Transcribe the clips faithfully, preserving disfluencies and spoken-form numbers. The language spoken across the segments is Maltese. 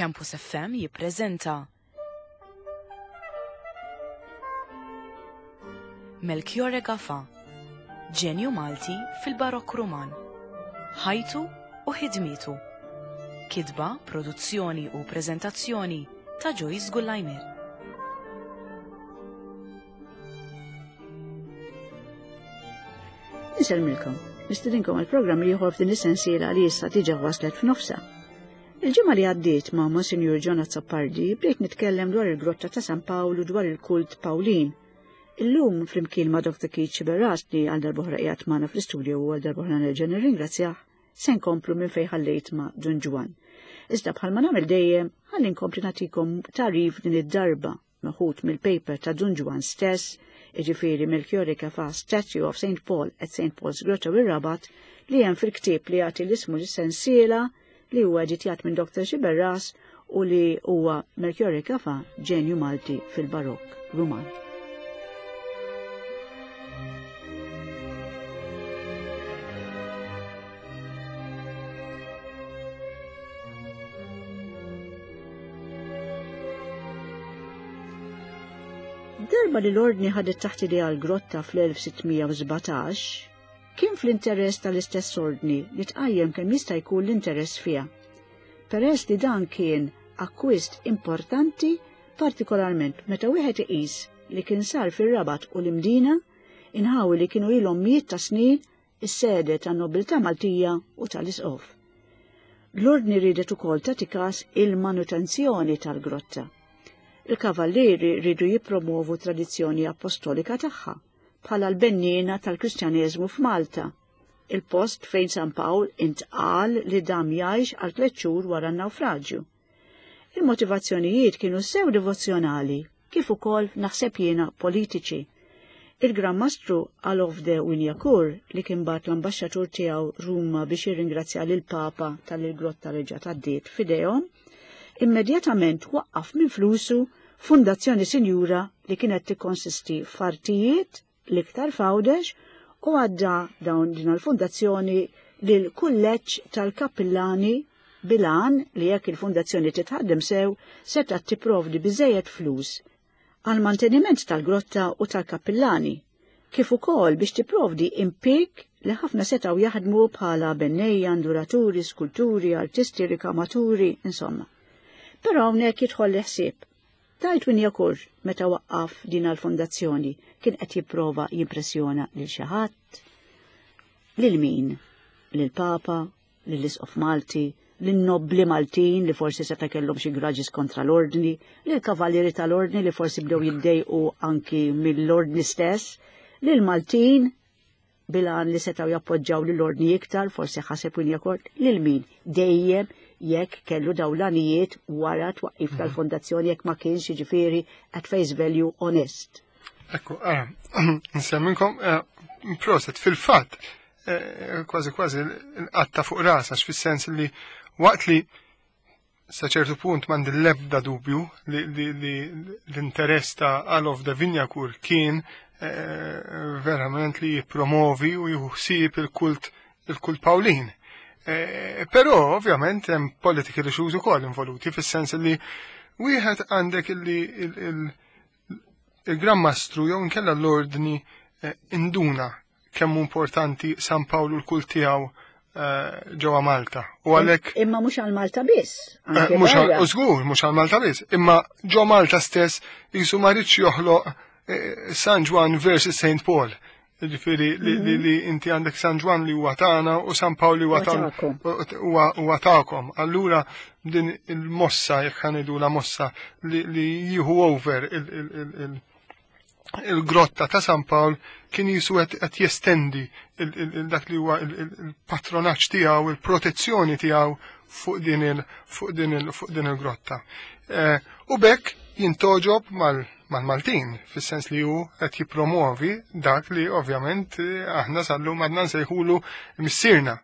Campus F M jippreżenta Melchiorre Gafà, ġenju Malti fil-Barokk Ruman, ħajtu u ħidmietu. Kitba, produzzjoni u preżentazzjoni ta' Joyce Gullajmir. Insellmilkom, nistedinkom għal programm ieħor f'din is-sensiela li issa diġà waslet f'nofsha. Il-ġimgħa li għaddiet ma' Monsinjur John Azzopardi bdejt nitkellem dwar il-grotta ta' San Pawl u dwar il-kult Pawlin. Illum flimkien ma' Doctor Keith Sciberras li għal darb'oħra qiegħed magħna fl-istudju u għal darb'oħra nerġa' nirringrazzjah, se nkomplu minn fejn ħallejt ma' Dun Ġwann. Iżda bħalma nagħmel dejjem, ħalli nkompli nagħtikom tagħrif din id-darba meħud mill-paper ta' Dun Ġwann stess, jiġifieri Melchiorre Gafà Statue of Saint Paul at Saint Paul's Grotto ir-Rabat, li hemm fil-ktieb li jagħti l-ismu lis-sensiela li huwa editjat minn Doctor Sciberras u li huwa Melchiorre Gafà, ġenju Malti fil-Barokk Ruman. Darba li l-ordni ħadet taħt idejha l-grotta fl-elf sittmija u sbatax, kien fl-interess tal-istess ordni li tqajjem kemm jista' jkun l-interess fiha. Peress li dan kien akkwist importanti, partikolarment meta wieħed iqis li kien sar fir-Rabat u l-Imdina, inħawi li kienu ilhom mijiet ta' snin is-sede tan-nobiltà Maltija u tal-Isqof. L-ordni riedet ukoll tagħti każ il-manutenzjoni tal-grotta. Il-kavallieri rridu jippromovu tradizzjoni apostolika tagħha bħala l-benniena tal-Kristjaneżmu f'Malta, il-post fejn San Pawl intqal li dam jgħix għal tliet xhur wara n-nawfraġġju. Il-motivazzjonijiet kienu sew devozzjonali, kif ukoll naħseb jiena politiċi. Il-Gran Mastru Alof de Wignacourt, li kien bagħat l-ambaxxatur tiegħu Ruma biex jirringrazzja lil Papa tal-grotta li ġa tgħaddiet f'idejhom, immedjatament waqqaf minn flusu Fondazzjoni Sinjura li kienet tikkonsisti f'artijiet l-iktar f'Għawdex u għadda dawn din il-fondazzjoni lil kulleġġ tal-kappillani bilan li jekk il-fondazzjoni titħaddem sew setgħet tipprovdi biżejjed flus għal manteniment tal-grotta u tal-kappillani, kif ukoll biex tipprovdi impjieg li ħafna setgħu jaħdmu bħala bennejja, nduraturi, skulturi, artisti, rikamaturi, insomma. Però hawnhekk jidħol l-ħsieb. Tajt Wignacourt meta waqqaf din l-fondazzjoni kien qed jipprova jimpressjona lil xi ħadd, lil min? Lil Papa, lil Isqof Malti, lin nobbli Maltin li forsi seta' kellhom xi grudges kontra l-ordni, lil kavallieri tal-ordni li forsi bdew jiddejqu anki mill-ordni stess, lil Maltin bilan li setgħu jappoġġaw lill-ordni iktar, forsi ħaseb Wignacourt, lil min? Dejjem jekk kellu dawlanijiet wara twaqqif Mhm. tal-fondazzjoni jekk ma kienx jiġifieri at face value honest. Ekku, ara, nsemminkom, eh, proset, fil-fatt, eh, kważi kważi l-qatta fuq ras, għax fis-sens li waqt li sa ċertu punt m'għandi l-ebda dubju li, li, li l-interess ta' Alof de Wignacourt kien, eh, verament li jippromovi u jieħu ħsieb il-kult, il-kult Pawlin. Eh, però ovvjament hemm political issues ukoll involuti fis-sens li wieħed għandek illi il-, il-, il-Gran Mastru jew inkella l-ordni, eh, induna kemm hu importanti San Pawlu l-kult tiegħu, eh, ġewwa Malta. U għalhekk Imma mhux għal Malta biss, Eh, anke mhux għal- barra. u żgur, mhux għal Malta biss, imma ġo Malta stess jisu ma rridx joħloq, eh, San Ġwann versus Saint Paul. Jiġifieri li, li, li inti għandek San Ġwann li huwa tagħna u San Pawl li huwa Huwa tagħna tagħkom. huwa, huwa tagħkom. Allura din il-mossa, jekk ħanidu la mossa, li, li jieħu over il, il, il, il, il-grotta ta' San Pawl kien jisu qed, qed jestendi il, il, il, dak li huwa il, il, il-patronaġġ tiegħu, il-protezzjoni tiegħu fuq din il, fuq din il, fuq din il-grotta. Eh, u bekk jintoġob mal-, mal-Maltin, fis-sens li hu qed jippromovi dak li ovvjament, eh, aħna sallum għadna nsejħulu missierna.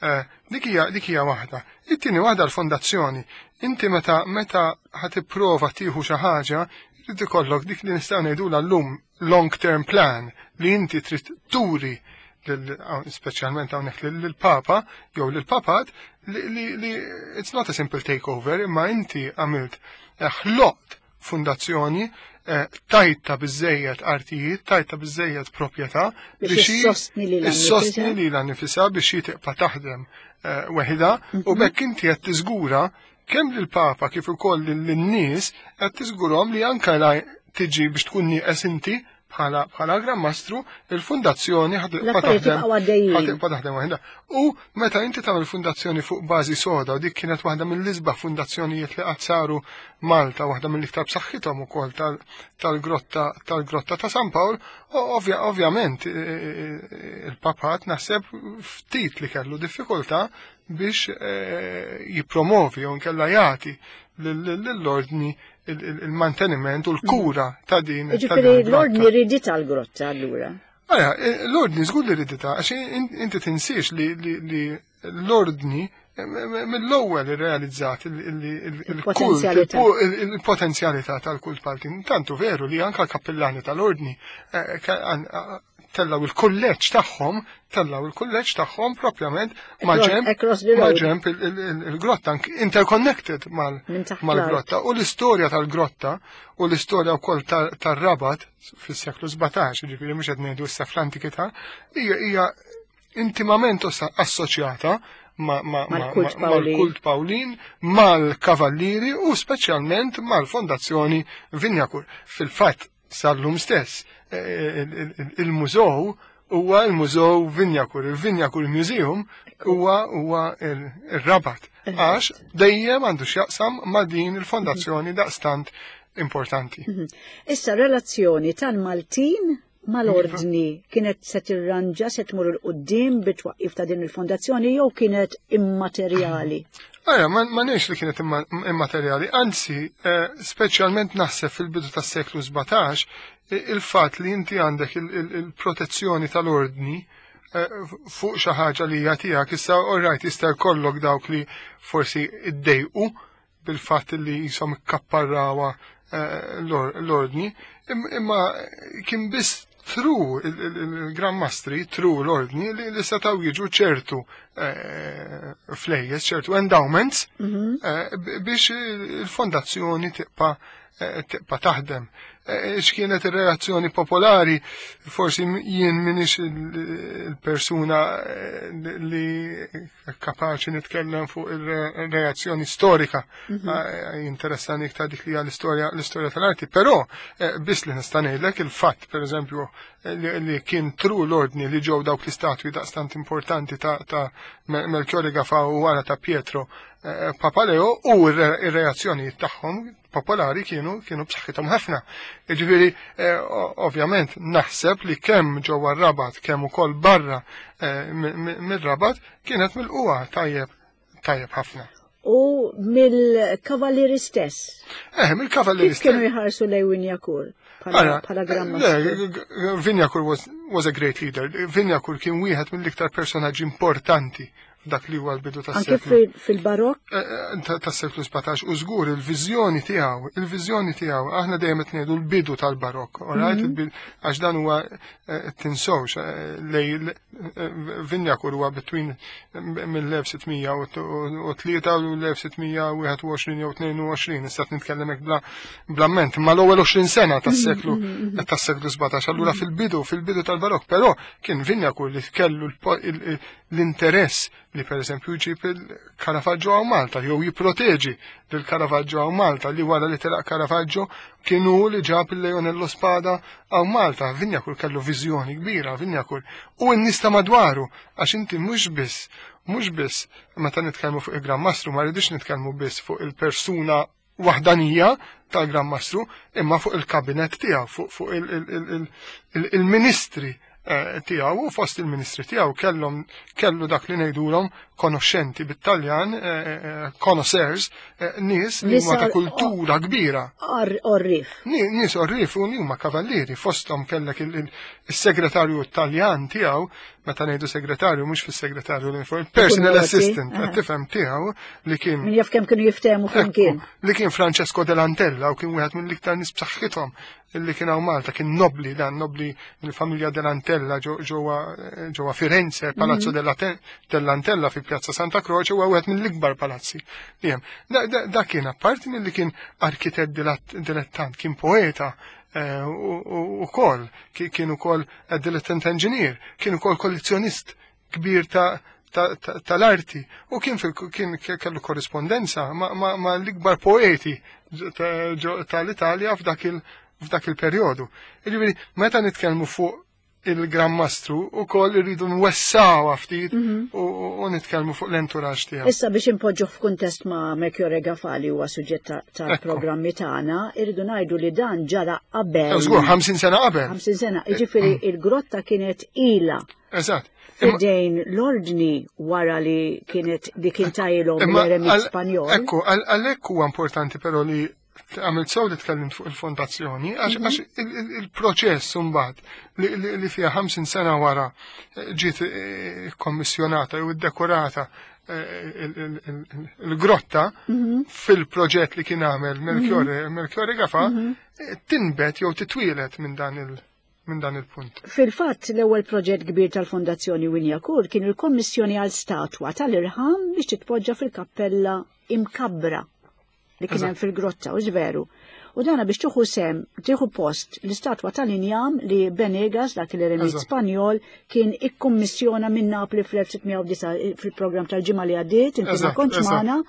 Eh, dik hija, dik hija waħda. It-tieni waħda l-fondazzjoni. Inti meta, meta ħa tipprova tieħu xi ħaġa, trid ikollok dik li nistgħu ngħidulha llum long term plan li inti trid turi lil-, speċjalment hawnhekk lil-, lill-Papa jew lill-Papat li, li it's not a simple takeover, imma inti għamilt eh, ħloqt fundazzjoni, eh, tajtha biżejjed artijiet, tajtha biżejjed proprjetà biex issostni lilha issostni nnifisha. Lilha nnifisha biex hi tibqa' taħdem eh, weħida u bekk inti qed tiżgura kemm lill-Papa kif ukoll lin-nies, qed tiżgurhom li anke la tiġi biex tkun nieqes inti bħala bħala Gran Mastru, il-fundazzjoni ħa tibqa' L-affarijiet taħdem jibqgħu għaddejjin. Ħa tibqa' taħdem waħedha. U meta inti tagħmel fundazzjoni fuq bażi soda, u dik kienet waħda mill-isbaħ fundazzjonijiet li qatt saru Malta, waħda mill-iktar b'saħħithom ukoll tal- tal-grotta tal-grotta ta' San Pawl, u ovvja, ovvjament eh, eh, il-papat naħseb ftit li kellu diffikultà biex eh, jipromovi jew nkella jagħti lill-ordni il-manteniment u l-kura ta' din ta' din Ġifieri il-grotta. l-ordni riditha l-grotta allura. Għaja, l-ordni żgur li riditha, għax in- inti tinsiex li, li, li l-ordni eh, mill-ewwel irrealizzat il- il- il- il-kult, Il-potenzjalità. il- il-potenzjalità tal-kult Maltin. Tantu veru li anka l-kappellani tal-ordni eh, ka- an- a- tellaw il-kulleġġ tagħhom, tellaw il-kulleġġ tagħhom propjament maġenb Across the road. maġenb il- il- il- il-grotta interconnected mal- Minn taħt mal-grotta. U l-istorja tal-grotta u l-istorja wkoll tal- tar-Rabat fis-seklu sbatax, ġifieri mhux qed ngħidu issa fl-antikità, hija hija intimament ossa- assoċjata ma- ma- ma- Mal-kult ma- Pawlin. mal-kult Pawlin, mal-kavallieri u speċjalment mal-Fondazzjoni Wignacourt. Fil-fatt, sal-lum stess, eh, il- il- il-mużew huwa il-Mużew Wignacourt, il-Wignacourt Museum huwa huwa il- il-Rabat. Għax dejjem għandu x'jaqsam ma' din il-fondazzjoni daqstant importanti. Issa relazzjoni tal-Maltin mal-ordni kienet se tirranġa, se tmur 'il quddiem bit-twaqqif ta' din il-fondazzjoni jew kienet immaterjali? Aja, ma, ma nix li kienet imma, immaterjali, anzi, eh, speċjalment naħseb fil-bidu tas-seklu sbatax, i- il-fat li inti għandek il-protezzjoni tal-ordni eh, fuq xi ħaġa li hija tiegħek, issa alright jista' jkollok dawk li forsi iddejqu bil-fatt li jisom ikkapparrawa eh, l-or- l-ordni, im- imma kien biss through il-Gran Mastri, through l-ordni, li, li setaw jiġu ċertu eh, flejjes, ċertu endowments, eh, b- biex il-fondazzjoni tibqa' eh, tibqa' taħdem. Eh, X'kienet ir-reazzjoni popolari, forsi jien minix il-persuna eh, li kapaċi nitkellem fuq il-reazzjoni storika, eh, jinteressani iktar dik li hija l-istorja l-istorja tal-arti, però eh, biss li nista' ngħidlek il-fatt, pereżempju, eh, li, li kien through l-ordni li ġew dawk l-istatwi daqstant importanti ta', ta Melchiorre Gafà u wara ta' Pietro eh, Papaleo u ir-reazzjoni tagħhom popolari kienu kienu b'saħħithom ħafna. Jiġifieri eh, o- ovvjament naħseb li kemm ġewwa r-Rabat kemm ukoll barra eh, mi- mi- mir-Rabat kienet milquha tajjeb tajjeb ħafna. U mill-kavallieri stess, Eh, mill-kavallieri kif kienu jħarsu lejn Wignacourt bħala Ara, bħala Gran le, Mastru? g- g- Wignacourt was, was a great leader. Wignacourt kien wieħed mill-iktar personaġġi importanti f'dak li huwa l-bidu Anke tas-seklu fil- fil-barokk? eh, eh, ta- tas-seklu sbatax u żgur il-viżjoni tiegħu, il-viżjoni tiegħu, aħna dejjem qed ngħidu l-bidu tal-barokk, alright? Il-bidu- Għax dan huwa eh, tinsewx eh, lej eh, Wignacourt huwa between mill-elf sitt mija u tlieta u l-elf sitt mija u wieħed u għoxrin jew tnejn u għoxrin, issa qed nitkellem hekk bla bla ment, ma l-ewwel għoxrin sena tas-seklu tas-seklu sbatax. Allura fil-bidu, fil-bidu tal-barokk, però kien Wignacourt li kellu l- il- l-interess li per eżempju jġib il-Caravaggio għaw Malta, jew jipproteġi lil Caravaggio għaw Malta, li wara li telaq Caravaggio kienu li ġab il-Leonello Spada għaw Malta. Wignacourt kellu viżjoni kbira, Wignacourt. U n-nies ta' madwaru, għax inti mhux biss, mhux biss, meta nitkellmu fuq il-Gran Mastru, ma rridux nitkellmu biss fuq il-persuna waħdanija tal-Gran Mastru, imma fuq il-kabinet tiegħu, fuq fuq il- il- il- il- il-ministri eh, tiegħu u fost il-ministri tiegħu kellhom kellu dak li ngħidulhom konoxxenti bit-Taljan, eh, eh, connoisseurs, eh, nies li huma ta' Nies kultura kbira. Or- Orrif. Ni- Nies orrif u huma kavallieri, fosthom kellek il- il- il-segretarju Taljan tiegħu, meta ngħidu segretarju mhux fis-segretarju l personal noti, assistant, aha. qed tifhem, tiegħu li kien Min jaf kemm kienu jiftehmu flimkien. Ekku, li kien Francesco Dell'Antella u kien wieħed mill-iktar nies b'saħħithom li kien hawn Malta, kien nobli dan, nobli mill-familja Dell'Antella ġo- ġewwa ġewwa Firenze, Palazzo della Te- Dell'Antella fi Pjazza Santa Croce, huwa wieħed mill-ikbar palazzi li hemm. Da kien apparti milli kien arkitett dilettant, kien poeta ukoll, kien ukoll dilettant engineer, kien ukoll kollezzjonist kbir ta' tal-arti u kien kien kellu korrispondenza ma' l-ikbar poeti tal-Italja f'dak il f'dak il-perjodu. Jiġifieri meta nitkellmu fuq il-Gran Mastru ukoll irridu nwessaw ftit u nitkellmu fuq l-entourage tiegħu. Issa biex impoġġu f'kuntest ma' Melchiorre Gafà li huwa suġġett tal-programmi tagħna, irridu ngħidu li dan ġara qabel. Żgur, ħamsin sena qabel. ħamsin sena, jiġifieri il-grotta kienet ilha. Eżatt. Fidejn l-ordni wara li kienet li kien tajilhom l-eremit Spanjol. Ekku, għalhekk huwa importanti però li għamilt sew li tkellimt fuq il-fondazzjoni, għax il-proċess mbagħad li fiha ħamsin sena wara ġiet kommissjonata jew iddekorata il-grotta fil-proġett li kien għamel Melchiorre Melchiorre Gafà tinbet jew titwielet minn dan il- minn dan il-punt. Fil-fatt, l-ewwel proġett kbir tal-Fondazzjoni Wignacourt kien il-kommissjoni għal statwa tal-irħam biex titpoġġa fil-kappella imkabbra li kien hemm fil-grotta, u veru. U dana biex tieħu sem, tieħu post l-istatwa tal-injam li Benegas, dak l-eremit Spanjol, kien ikkummissjona minn Napli fl-elf sitt mija u disgħa fil-programm tal-ġimgħa li għaddiet, inti ma kontx magħna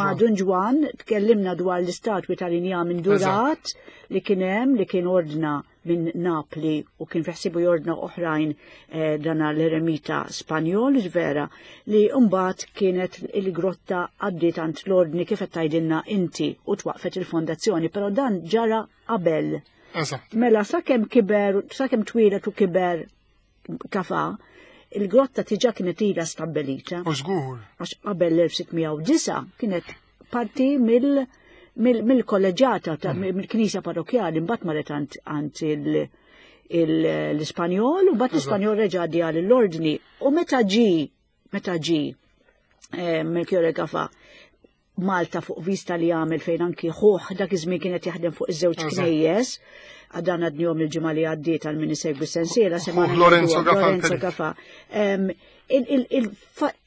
ma' Dun Ġwann, tkellimna dwar l-istatwi tal-injam indurat li kien hemm, li kien ordna minn Napli u kien fiħsibu jordna oħrajn eh, dana l-eremita Spanjol, vera, li mbagħad kienet il-grotta għaddiet għand l-ordni kif qed tgħidilna inti u twaqfet il-fondazzjoni, però dan ġara qabel. Mela sakemm kiber, sakemm twieled u kiber Gafà, il-grotta diġà kienet ilha stabbilita. U żgur. Għax qabel l-elf sitt mija u disgħa kienet parti mill- mill-kolleġjata, mill-knisja parrokjali, mbagħad marret għand l-Ispanjol, u mbagħad l-Ispanjol reġa' għaddi għal l-ordni. U meta ġi, meta ġi Melchiorre Gafà Malta fuq vista li għamel fejn anki ħuħ dak iż-żmien kienet jaħdem fuq iż-żewġ knejjes, għadan għadnihom il-ġimgħa li għaddiet għal min isegwi sensiela, Lorenzo Gafà. Lorenzo Gafà.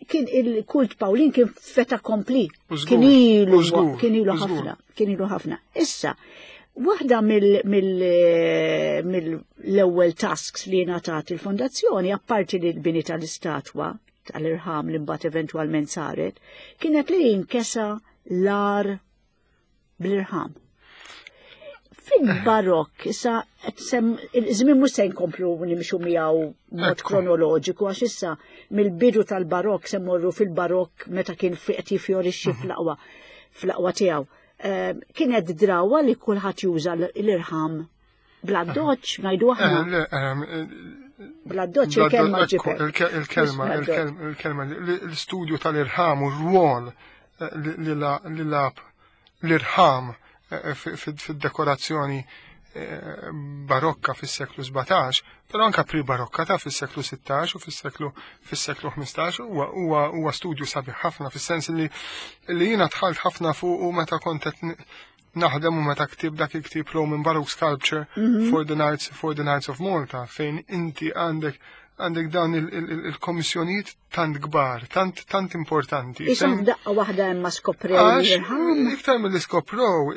Kien il-kult Pawlin kien fait accompli. Kien ilu kien ilu ħafna, kien ilu ħafna. Issa, waħda mill-ewwel tasks li ngħatat il-fondazzjoni, apparti li l-bini tal-istatwa tal-irħam li mbagħad eventwalment saret, kienet li jinkesa l-għar bl-irħam. Fil-barokk, issa, il-żmien mhux se nkomplu nimxu miegħu mod kronoloġiku, għax issa mill-bidu tal-barokk se mmorru fil-barokk meta kien qed jifjorixxi fl-aqwa fl-aqwa tiegħu. Kienet drawa li kulħadd juża l-irħam bl-addoċċ, ngħidu aħna. Bl-addoċċ il-kelma ġiper. Il-kelma, il-kelma, l-istudju tal-irħam u r-rwol li lagħab l-irħam fid-dekorazzjoni barokka fis-seklu sbatax, però anka pre-barokka ta' fis-seklu sittax u fis-seklu fis-seklu ħmistax huwa huwa studju sabiħ ħafna fis-sens li li jiena dħalt ħafna fuq u meta kont qed naħdem u meta ktib dak il-ktib Roman Baroque Sculpture for the Knights for the Knights of Malta, fejn inti għandek għandek dawn il-kommissjonijiet tant kbar, tant tant importanti. Isom f'daqqa waħda hemm ma skoprew l-irħam. Iktar mill skoprow,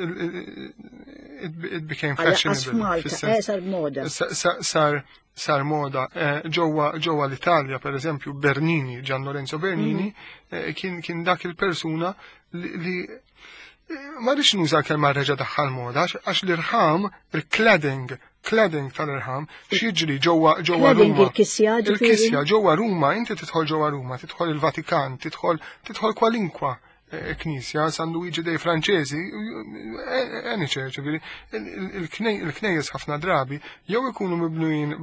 it became fashionable. Eh, sar moda. Sar sar moda. Eh, ġewwa ġewwa l-Italja, per eżempju, Bernini, Gian Lorenzo Bernini, mhm. eh, kien kien dak il-persuna li ma rridx nuża kelma reġa' daħħal moda, għax l-irħam, il-cladding, cladding tal-irħam, x'jiġri ġewwa ġewwa Ruma. Il-kisja. Il-kisja ġewwa Ruma, inti tidħol ġewwa Ruma, tidħol il-Vatikan, tidħol tidħol kwalinkwa eh, knisja, San Luigi dei Francesi, any church, il-knejjes ħafna drabi jew ikunu mibnujin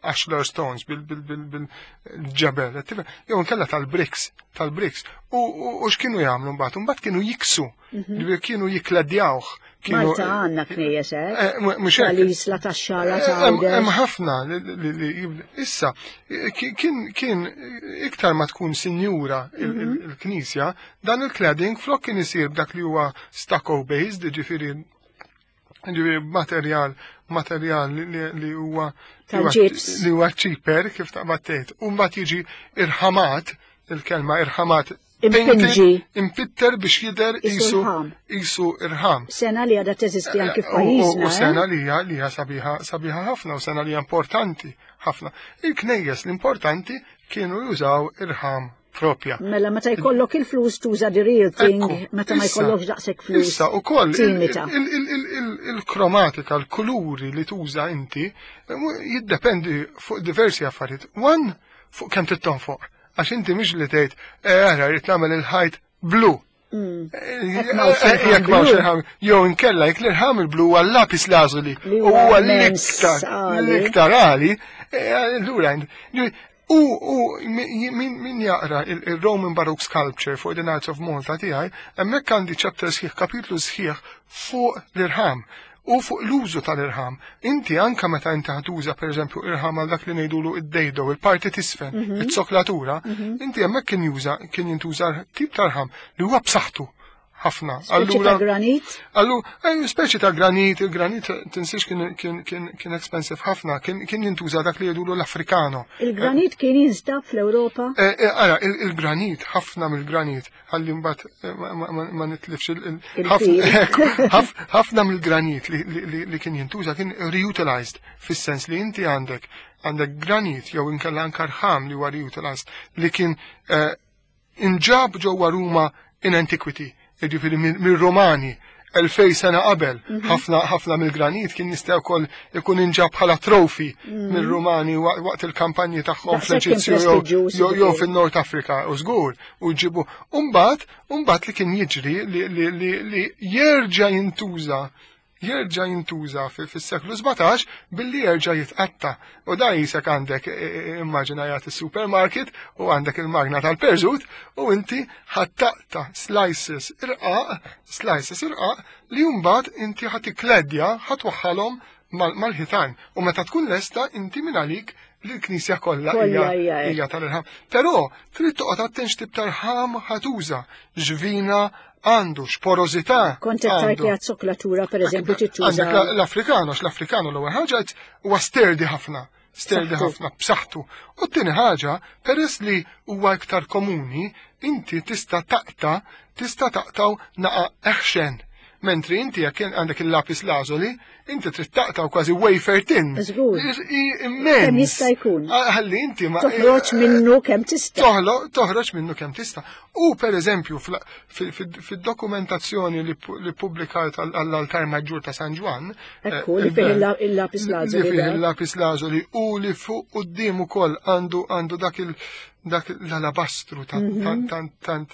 ashlar stones bil-ġebel, jew nkella tal-bricks, tal-bricks. U x'kienu jagħmlu mbagħad? Mbagħad kienu jiksu, mhm. kienu jikladjawh. Malta għandna knejjes, eh? Mhux hekk. Tal-Isla, tax-Xagħra, ta' Hemm ħafna li issa kien kien iktar ma tkun sinjura mhm. il-knisja, dan il-cladding flok kien isir b'dak li huwa stucco based, ġifieri ġifieri materjal materjal li huwa li huwa cheaper kif taqbad tgħid. U mbagħad jiġi irħamat. il-kelma irħamat. Impinġi. Impitter biex jidher isu isu irħam. Sena li għadha teżisti anki f'pajjiżna. U sena li hija li hija sabiħa sabiħa ħafna u sena li hija importanti ħafna. Il-knejjes l-importanti kienu jużaw irħam propja. Mela meta jkollok il-flus tuża the real thing, meta ma jkollokx daqshekk flus. Issa ukoll il-kromatika, l-kuluri li tuża inti jiddependi fuq diversi affarijiet. One, fuq kemm trid tonfoq. Għax inti mhix li tgħid, ara rrid nagħmel il-ħajt blu. Jekk m'hawnx irħam, jew inkella jekk l-irħam il-blu huwa l-lapis lazuli u huwa l-iktar l-iktar għali, allura u min jaqra il-Roman Baroque Sculpture fuq the Arts of Malta tiegħi, hemmhekk għandi chapter sħiħ, kapitlu sħiħ fuq l-irħam u fuq l-użu tal-irħam. Inti anka meta inti ħatuża pereżempju irħam għal dak li ngħidulu id-dejdo, il-parti tisfen, it-soklatura, inti hemmhekk kien juża kien jintuża tip ta' irħam li huwa b'saħħtu ħafna. Speċi ta' granit? Allura, speċi ta' granit, il-granit tinsiex kien kien kien expensive ħafna, kien jintuża dak li jgħidulu l-Afrikano. Il-granit kien jinstab fl-Ewropa? Ara, il-granit, ħafna mill-granit, ħalli mbagħad ma nitlifx il ħafna mill-granit li kien jintuża kien reutilized, fis-sens li inti għandek għandek granit jew inkella anke rħam li huwa reutilized li kien inġab ġewwa Ruma in antiquity. Jiġifieri mir-Romani elfej sena qabel, ħafna ħafna mill-granit kien jista' wkoll ikun inġab bħala trofi mir-Romani waqt il-kampanji tagħhom fl-Eġizzju jew fin-Nord Afrika u żgur u jġibu. Mbagħad mbagħad li kien jiġri li jerġa' jintuża jerġa' jintuża fis-seklu sbatax billi jerġa' jitqatta. U da jisek għandek immaġina jagħti is-supermarket u għandek il-magna tal-perżut u inti ħattaqta slices irqaq, slices irqaq li mbagħad inti ħadd ikkledja ħatwaħħalhom mal-ħitan. U meta tkun lesta inti minn għalik li l-knisja kollha hija tal-irħam. Però trid toqgħod attent x'tip tal-ħam ħatuża, ġvina għandu x'porozità. Kont qed tgħid li għat-soklatura pereżempju tittuża. Għandek l-Afrikano, l-Afrikano l-ewwel ħaġa huwa sterdi ħafna, sterdi ħafna b'saħħtu. U t-tieni ħaġa, peress li huwa iktar komuni, inti tista' taqta' tista' taqtaw naqa' eħxen. Mentri inti jekk għandek il-lapis lazuli, inti trid taqtaw kważi wafer tin. Żgur. Immens. Kemm jista' jkun. Ħalli inti ma toħroġ minnu kemm tista'. Toħroġ minnu kemm tista'. U pereżempju fid-dokumentazzjoni li ppubblikajt għall-altar maġġur ta' San Ġwann, ekku li fih il-lapis lazuli. Li fih il-lapis lazuli u li fuq quddiem ukoll għandu għandu dak il dak l-alabastru tant tant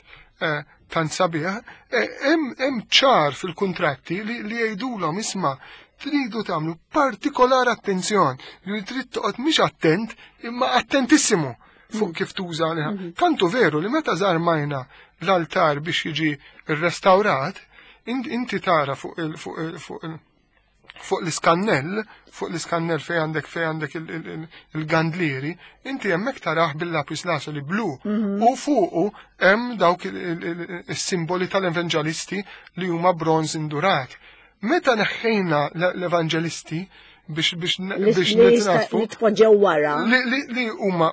tant sabiħ, hemm ċar fil-kuntratti li jgħidulhom isma' tridu tagħmlu partikolar attenzjon, li trid toqgħod mhix attent imma attentissimu fuq kif tuża. Tantu veru li meta żarmajna l-altar biex jiġi rrestawrat, inti tara fuq il fuq il fuq l-iskannell, fuq l-iskannell fej għandek fej għandek il-gandlieri, inti hemmhekk tarah bil-lapis lazuli blu u fuqu hemm dawk is-simboli tal-evanġelisti li huma bronz indurat. Meta neħħejna l-evanġelisti biex biex biex nitnafu li tpoġġew wara li huma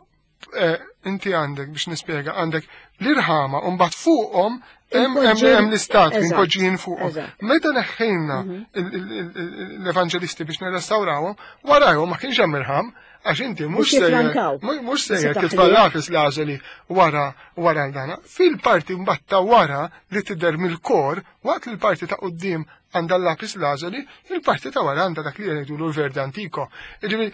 inti għandek biex nispjega għandek l-irħama u mbagħad fuqhom hemm hemm l-istatwi mpoġġijin fuqhom. Meta neħħejna l-evanġelisti biex nirrestawrawhom, warajhom ma kienx hemm irħam għax inti mhux sejjer mhux sejjer titfa' lapis lazuli wara wara l-dana. Fil-parti mbagħad ta' wara li tidher mill-kor, waqt li l-parti ta' quddiem għandha l-lapis lazuli, il-parti ta' wara għandha dak li jgħidulu l-verde antico. Jiġifieri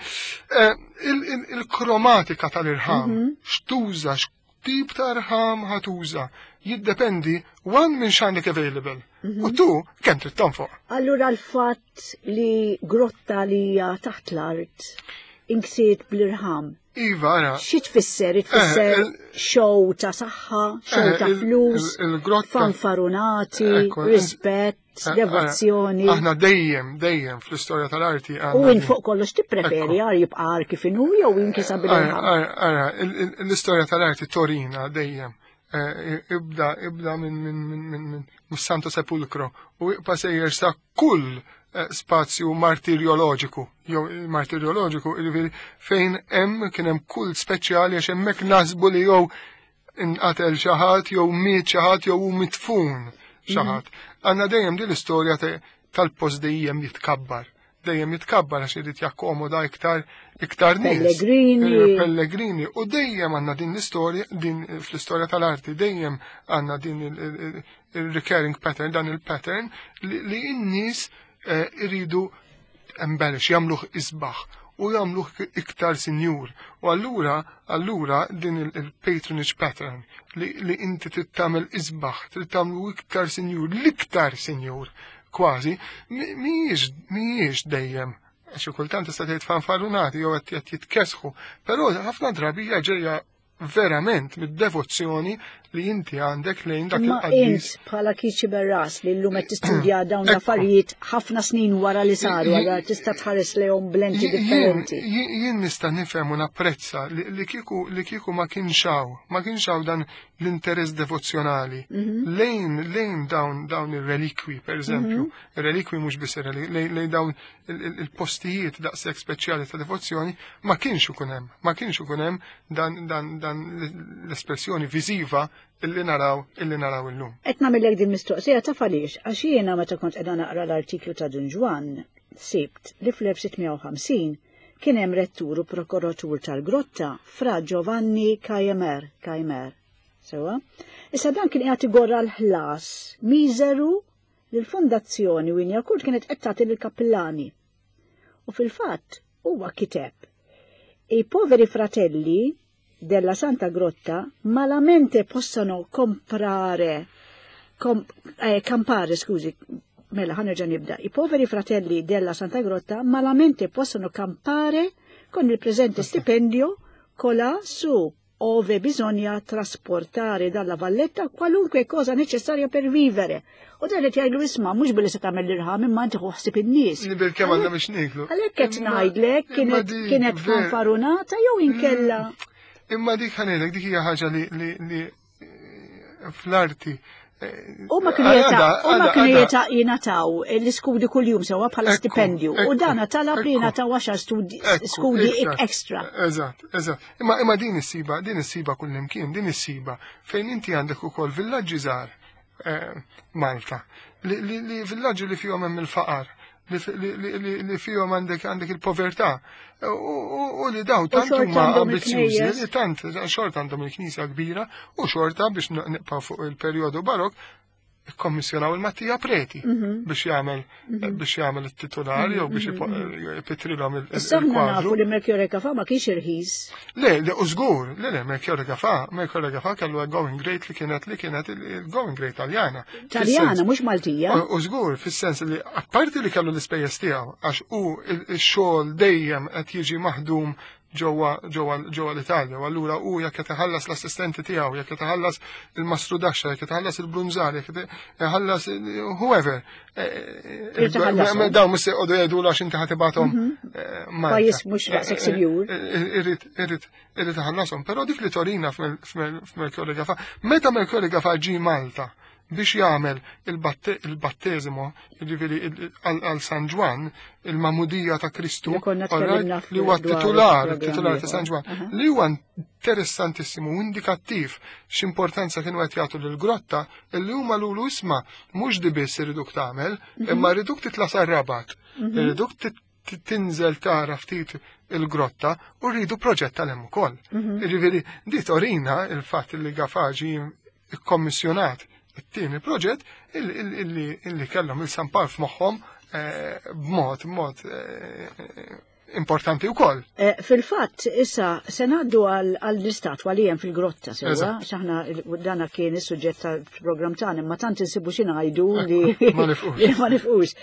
il-kromatika tal-irħam, x'tuża, x'tip ta' irħam ħatuża, jiddependi one minn x'għandek available. U tu kemm trid tonfoq. Allura l-fatt li grotta li hija taħt l-art inksiet bl-irħam. Iva, ara. Xi tfisser? Tfisser show ta' saħħa, show ta' flus, fanfarunati, rispett, devozzjoni. Aħna dejjem, dejjem fl-istorja tal-arti. U in fuq kollox tippreferi għar jibqa' għar kif inhu jew inkisa bil-irħam. Ara, l-istorja tal-arti torina dejjem. Ibda, ibda minn minn minn minn Santo Sepulcro u ibqa' sejjer sa kull spazju martirjoloġiku, jew martirjoloġiku, jiġifieri fejn hemm kien hemm kull speċjali għax hemmhekk nasbu li jew inqatel xi ħadd jew miet xi ħadd jew hu mitfun xi ħadd. Għandna dejjem din l-istorja tal-post dejjem jitkabbar. Dejjem jitkabbar għax irid jakkomoda iktar iktar nies. Pellegrini. Pellegrini. U dejjem għandna din l-istorja, din fl-istorja tal-arti, dejjem għandna din il-recurring pattern, dan il-pattern li n-nies iridu embellish, jagħmluh isbaħ u jagħmluh iktar sinjur. U allura, allura din il-patronage pattern li, li inti trid tagħmel isbaħ, trid tagħmlu iktar sinjur, l-iktar sinjur kważi, mhijiex mhijiex dejjem għax kultant tista' tgħid fanfarunati jew qed jitkesħu, però ħafna drabi hija ġejja verament mid-devozzjoni li inti għandek lejn dak il-qaddis. Int bħala Keith Sciberras li llum qed tistudja dawn l-affarijiet ħafna snin wara li saru, allura tista' tħares lejhom b'lenti differenti. Jien nista' nifhem u napprezza li kieku li kieku ma kienx hawn, ma kienx hawn dan l-interess devozzjonali mhm. lejn lejn dawn dawn ir-relikwi, per eżempju, mhm. ir-relikwi mhux biss lejn dawn il-postijiet daqshekk speċjali ta' devozzjoni, ma kienx ikun hemm, ma kienx ikun hemm dan dan dan l-espressjoni viżiva illi naraw illi naraw illum. Qed nagħmellek din mistoqsija taf għaliex, għax jiena meta kont qiegħda naqra l-artiklu ta' Dun Ġwann sibt li fl-elf sitt mija u ħamsin kien hemm rettur u prokuratur tal-grotta, Fra Giovanni Cajemer, Cajemer. Sewa? Issa dan kien qiegħed igorra l-ħlas miżeru li l-fondazzjoni Wignacourt kienet qed tagħti lill-kappillani. U fil-fatt huwa kiteb: "I poveri fratelli della Santa Grotta malamente possono comprare, com, eh, campare, scusi, mela ħa nerġa' nibda. I poveri fratelli della Santa Grotta malamente possono campare con il presente stipendio colà su, ove bisogna trasportare dalla Valletta qualunque cosa necessaria per vivere." U dan qed jgħidlu, isma', mhux billi se tagħmel l-irħam imma inti ħsib in-nies. Nibel kemm għandna biex nieklu. Għalhekk qed ngħidlek kienet kienet fanfarunata jew inkella. Imma dik ħa ngħidlek, dik hija ħaġa li li fl-arti. U ma kienu kienu jingħataw l-iskudi kull-jum sewa bħala stipendju. U dana talab li jingħataw għaxar skudi extra. Eżatt, eżatt. Imma imma din issiba, din issiba kull imkien, din issiba fejn inti għandek ukoll villaġġi żgħar eh, Malta. Li villaġġi li fihom hemm il-faqar, li fihom għandek għandek il-povertà u li daw tant huma ambizzjużi li tant xorta għandhom il-knisja kbira u xorta, biex nibqgħu fuq il-perjodu barok, ikkommissjonaw il-Mattia Preti mhm. biex jagħmel mhm. biex jagħmel it-titolari jew biex mhm. ipitrilhom il-kwadru. Nafu li Melchiorre Gafà ma kienx irħis. Le, le, u żgur, le, le, Melchiorre Gafà, Melchiorre Gafà kellu going rate li kienet li kienet il-going rate Taljana. Taljana, mhux Maltija. U żgur, fis-sens li apparti li kellu l-ispejjeż tiegħu, għax u x-xogħol dejjem qed jiġi maħdum ġewwa ġewwa ġewwa l-Italja, u allura u jekk qed iħallas l-assistenti tiegħu, jekk qed iħallas il-mastrudaxxa, jekk qed iħallas il-brunżar, jekk qed iħallas whoever. Eh, eh, dawn mhux se jqogħdu jgħidu għax inti ħa tibgħathom mhm. eh, Pajjiż mhux daqshekk sinjur. Irrid irrid irrid iħallasom, però dik li torina f'Melchiorre Gafà, meta Melchiorre Gafà ġi Malta biex jagħmel il-battesimo, jiġifieri għal San Ġwann, il-Magħmudija ta' Kristu, li huwa titular, titular ta' San Ġwann, li huwa interessantissimu, indikattiv x'importanza kienu qed jagħtu lill-grotta, illi huma lulu, isma', mhux di biss iriduk tagħmel, mhm. imma rriduk titla' sar-Rabat, mhm. irriduk tinżel tara ftit il-grotta u rridu proġett tal-hemm ukoll. Mhm. Jiġifieri di torina il-fatt li Gafà ġie ikkommissjonat it-tieni proġett illi kellhom il-San Pawl f'moħħhom eh, b'mod mod eh, importanti wkoll. Eh, fil-fatt, issa, se ngħaddu għall-istatwa li hemm fil-grotta, sewa, xaħna dana kien is-suġġett tal-programm tagħna, imma tant insibu xi ngħidu li ma nifqux. Ma nifqux.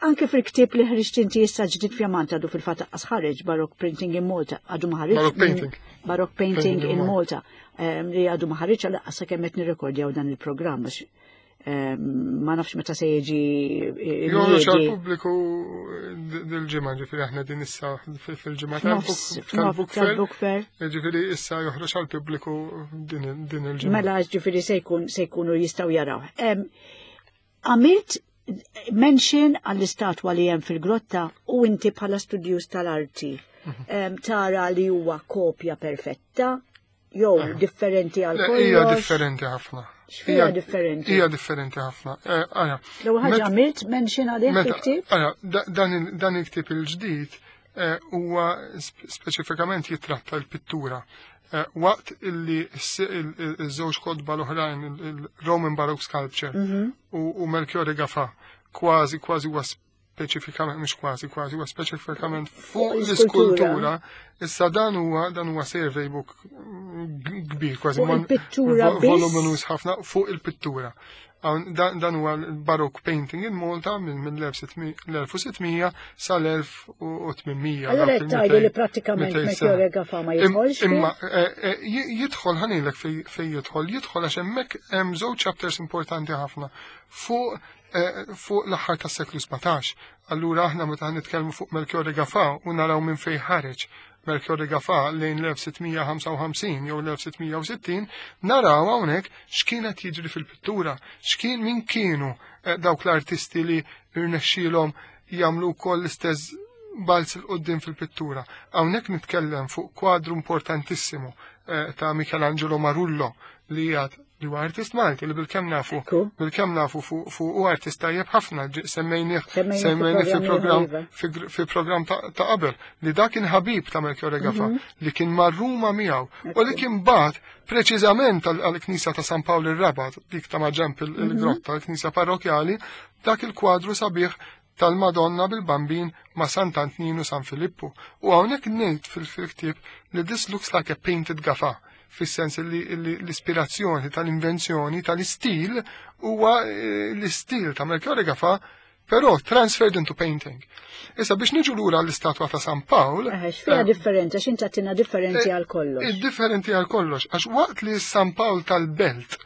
Anke fil-ktieb li ħriġt inti issa ġdid fjamant, għadu fil-fatt ħareġ, Baroque Printing in Malta, għadu ma ħareġ. Baroque Painting. Baroque Painting in Malta, li għadu ma ħareġ għal sakemm qed nirrekordjaw dan il-programm, ma nafx meta se jiġi. Joħroġ għal-pubbliku dil-ġimgħa, ġifieri aħna din issa fil-ġimgħa tal-book fair. Ġifieri issa joħroġ għal-pubbliku din il-ġimgħa. Mela ġifieri se jkun se jkunu jistgħu jaraw. Għamilt mention għall-istatwa li hemm fil-grotta u inti bħala studjuż tal-arti mhm. tara li huwa kopja perfetta jew differenti għal Le, Hija kollox? differenti ħafna. X'fiha Hija- differenti? Hija differenti ħafna. Eh, Ara, L-ewwel ħaġa met- għamilt mention għalih Meta, fil-ktieb? ara, da- dan il- dan il-ktieb il-ġdid eh, huwa sp- speċifikament jitratta l-pittura. Eh, Waqt illi s- il- il- iż-żewġ kotba l-oħrajn, il- il-Roman Baroque Sculpture u u Melchiorre Gafà, kważi kważi huwa speċifikament, mhux kważi kważi, huwa speċifikament fuq l-iskultura. l-iskultura. Issa dan huwa dan huwa survey book mm, kbir, kważi Fuq mon- il-pittura vo- biss? voluminous ħafna fuq il-pittura. Hawn- Dan dan huwa l-Baroque painting in Malta minn mill-elf u sitt mija sal-elf u tmien mija. Allora dawk qed tgħidu li il-mitejn- prattikament mitejn Melchiorre sena. Gafà ma Im- jidħolx fih? Imma eh, eh, ji- jidħol ħa ngħidlek fej fej jidħol, jidħol għax hemmhekk hemm żewġ chapters importanti ħafna fuq eh, fuq l-aħħar tas-seklu sbatax. Allura aħna meta nitkellmu fuq Melchiorre Gafà u naraw minn fejn ħareġ Melchiorre Gafà lejn l-elf sitt mija ħamsa u ħamsin jew l-elf sitt mija u sittin, naraw hawnhekk x'kienet jiġri fil-pittura, x'kien min kienu eh, dawk l-artisti li rnexxielhom jagħmlu wkoll l-istess balz 'il quddiem fil-pittura. Hawnhekk nitkellem fuq kwadru importantissimu eh, ta' Michelangelo Marullo li jgħad li huwa artist Malti li bilkemm nafu Ekku. bilkemm nafu fuq fu u artist tajjeb ħafna ġi- semmejnih Semmejnih semmejnih fi fi programm iva. fi gr- fi programm ta' ta' qabel li dak kien ħabib ta' Melchiorre Gafà li kien mar Ruma miegħu u li kien bagħat preċiżament għal- għall-Knisja ta' San Pawl ir-Rabat, dik ta' maġenb il- il-grotta, l-Knisja parrokjali, dak il-kwadru sabiħ tal-Madonna bil-Bambin ma' Sant'Antninu San Filippu. U hawnhekk ngħid fil-ktieb li this looks like a painted Gafà, fis-sens li li l-ispirazzjoni tal-invenzjoni tal-istil huwa eh, l-istil ta' Melchiorre Gafà, però transferred into painting. Issa biex niġu lura l-istatwa ta' San Pawl, Eh, X'fiha eh, differenti, għax inti għedtilna differenti għal kollox. Differenti għal kollox, għax waqt li San Pawl tal-Belt,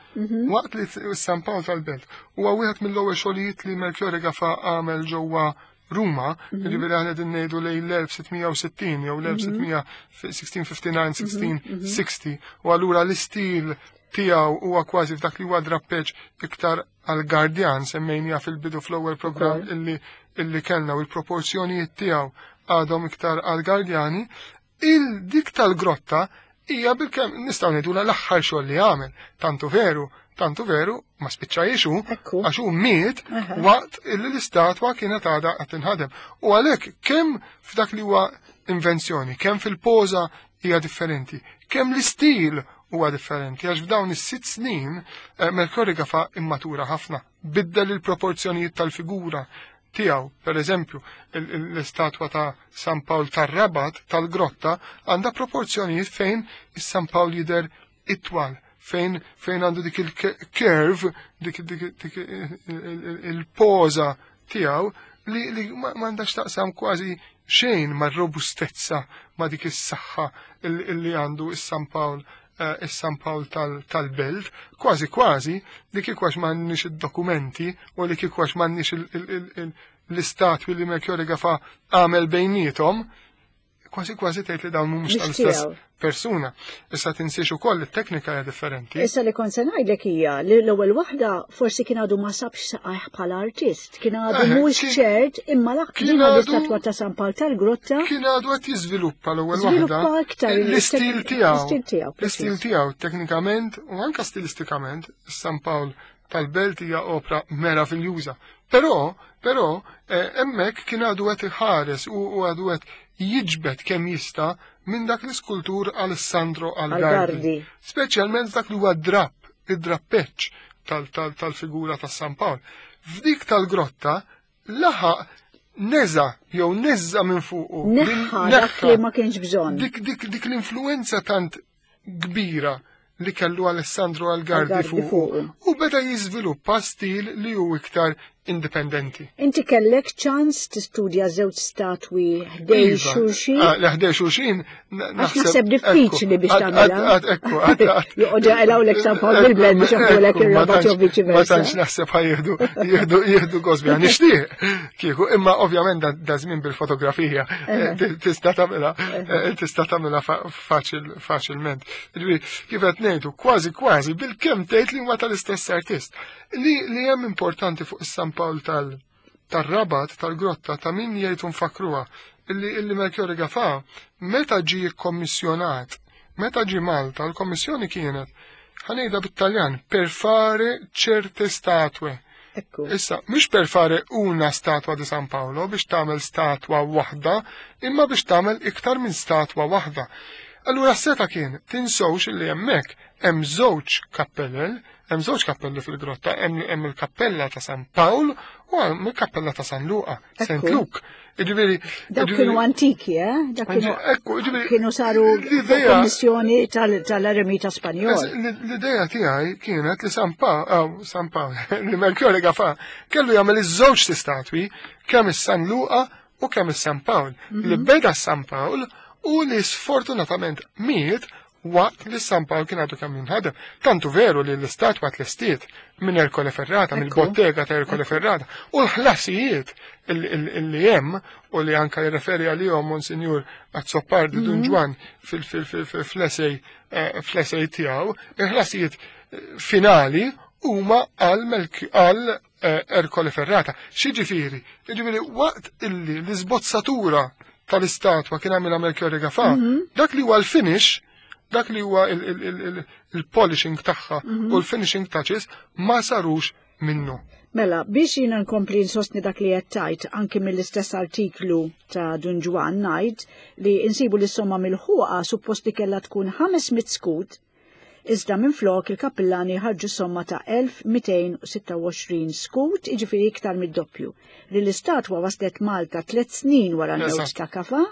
waqt li San Pawl tal-Belt, huwa wieħed mill-ewwel xogħlijiet li Melchiorre Gafà għamel ġewwa Ruma, jiġifieri aħna qegħdin ngħidu lejn l-elf sitt mija u sittin jew l-elf sitt mija sittaħx, sittaħx, u allura l-istil tiegħu huwa kważi f'dak li huwa drappeġġ iktar għal Gardjan, semmejnija fil-bidu fl-ewwel programm illi illi kellna, u l-proporzjonijiet tiegħu għadhom iktar għal Gardjani, il-dik tal-grotta hija bilkemm nistgħu ngħidu l-aħħar xogħol li għamel. Tantu veru, tantu veru, ma spiċċajiex hu, Ekku. għax hu miet Aha. waqt illi l-istatwa kienet għadha qed tinħadem. U għalhekk kemm f'dak li huwa invenzjoni, kemm fil-poża hija differenti, kemm l-istil huwa differenti, għax f'dawn is-sitt snin eh, Melchiorre Gafà immatura ħafna, biddel il-proporzjonijiet tal-figura tiegħu. Per eżempju, il- il- l-istatwa ta' San Pawl tar-Rabat tal-grotta għandha proporzjonijiet fejn is-San Pawl jidher itwal, fejn fejn għandu dik il-curve, dik, dik, dik il-poża tiegħu li, li ma m'għandax taqsam kważi xejn ma' robustezza, ma' dik is-saħħa li għandu is-San Pawl eh, is-San Pawl tal-Belt, kważi kważi li kieku għax m'għandniex id-dokumenti u li kieku għax m'għandniex l-istatwi li Melchiorre Gafà għamel bejniethom, kważi kważi tgħid li dawn mhumiex tal-istess persuna. Issa tinsiex ukoll it-teknika hija differenti. Issa li kont se ngħidlek hija li l-ewwel waħda forsi kien għadu ma sabx saqajh bħala artist, kien għadu Eh, mhux kien- ċert, imma l kien din għadu- l-istatwa ta' San Pawl tal-Grotta Kien għadu qed jiżviluppa l-ewwel waħda. Żviluppa aktar il- L-istil tiegħu. l-istil tiegħu, L-istil preċiż. tiegħu teknikament u anka stilistikament San Pawl tal-Belt hija opra meraviljuża. Però, però, eh, hemmhekk kien għadu qed iħares u u għadu qed jiġbed kemm jista' minn dak l-iskultur Alessandro Algardi. Algardi. Speċjalment dak li huwa drapp, id-drappeċ tal-figura ta' San Pawl. F'dik tal-grotta laħaq neża jew neża minn fuqu. Neħħa dak li ma kienx bżonn. Dik, dik, dik l-influenza tant kbira li kellu Alessandro Algardi Algardi fuqu. fuqu. U beda jiżviluppa stil li hu iktar indipendenti. Inti kellek ċans tistudja żewġ statwi ħdejn Iva. xulxin? Ah, le ħdejn xulxin, Għax naħseb diffiċli biex tagħmilha. Ekku, għad- għad- Joqogħdu jaqilgħulek San Pawl bil-Belt biex joħdulek Ekku, ma ir-Rabat tantx- jew viċi Ma versa. tantx naħseb ħa jieħdu jieħdu jieħdu gosbi nixtieq. Kieku, imma ovvjament da- da żmien bil-fotografija eh, ti- tista' tagħmilha eh, tista' tagħmilha fa- faċil faċilment. Ġifieri, kif qed ngħidu, kważi kważi bilkemm tgħid li huma tal-istess artist. Li li hemm importanti fuq is-San Pawl tal tar-Rabat tal-grotta ta' min jgħid nfakruha illi illi Melchiorre Gafà meta ġie kkommissjonat Meta ġie Malta, l-kommissjoni kienet, ħa ngħidha bit-Taljan, per fare certe statue. Ekku. Issa, mhux per fare una statua di San Paolo biex tagħmel statwa waħda, imma biex tagħmel iktar minn statwa waħda. Allura seta kien tinsewx li hemmhekk hemm żewġ kappellel, hemm żewġ kappelli fil-grotta, hemm hemm il-kappella ta' San Pawl u hemm il-kappella ta' San Luqa, Saint Ekku. Luke. Jiġifieri Dawk kienu antiki, eh? Dak kienu Ekku, jiġifieri kienu saru l-idea- kommissjoni tal-Eremita Spanjol. L-idea tiegħi kienet li San Pawl, oh, San Pawl, li Melchiorre Gafà kellu jagħmel iż-żewġ statwi, kemm is-San Luqa u kemm is-San Pawl. Li beda San Pawl u li sfortunatament miet waqt li San Pawl kien għadu kemm jinħadem. Tantu veru li l-istatwa tlestiet minn Ercole Ferrata, Ekku. mill-bottega ta' Ercole Ferrata, u l-ħlasijiet illi hemm u li anka jirreferi għalihom Monsinjur Azzopardi Dun Ġwann fl-essay fl-essay tiegħu, il-ħlasijiet eh, finali huma għal Melk- għal eh, Ercole Ferrata. X'jiġifieri? Jiġifieri waqt illi l-iżbozzatura tal-istatwa kien għamilha Melchiorre Gafà, dak li huwa l-finish, dak li huwa il- il- il- il- il-polishing tagħha u l-finishing touches ma sarux minnu. Mela, biex jina nkompli nsostni dak li qed tajt anki mill-istess artiklu ta' Dun Ġwann ngħid li insibu li somma mill-ħuqa suppost li kellha tkun ħames mitt skut, iżda minflok il-kappillani ħarġu somma ta' elf u mitejn u sitta u għoxrin skut, iġifieri iktar mid-doppju. Li l-istatwa waslet Malta tliet snin wara l-mewt Eżatt. ta' Gafà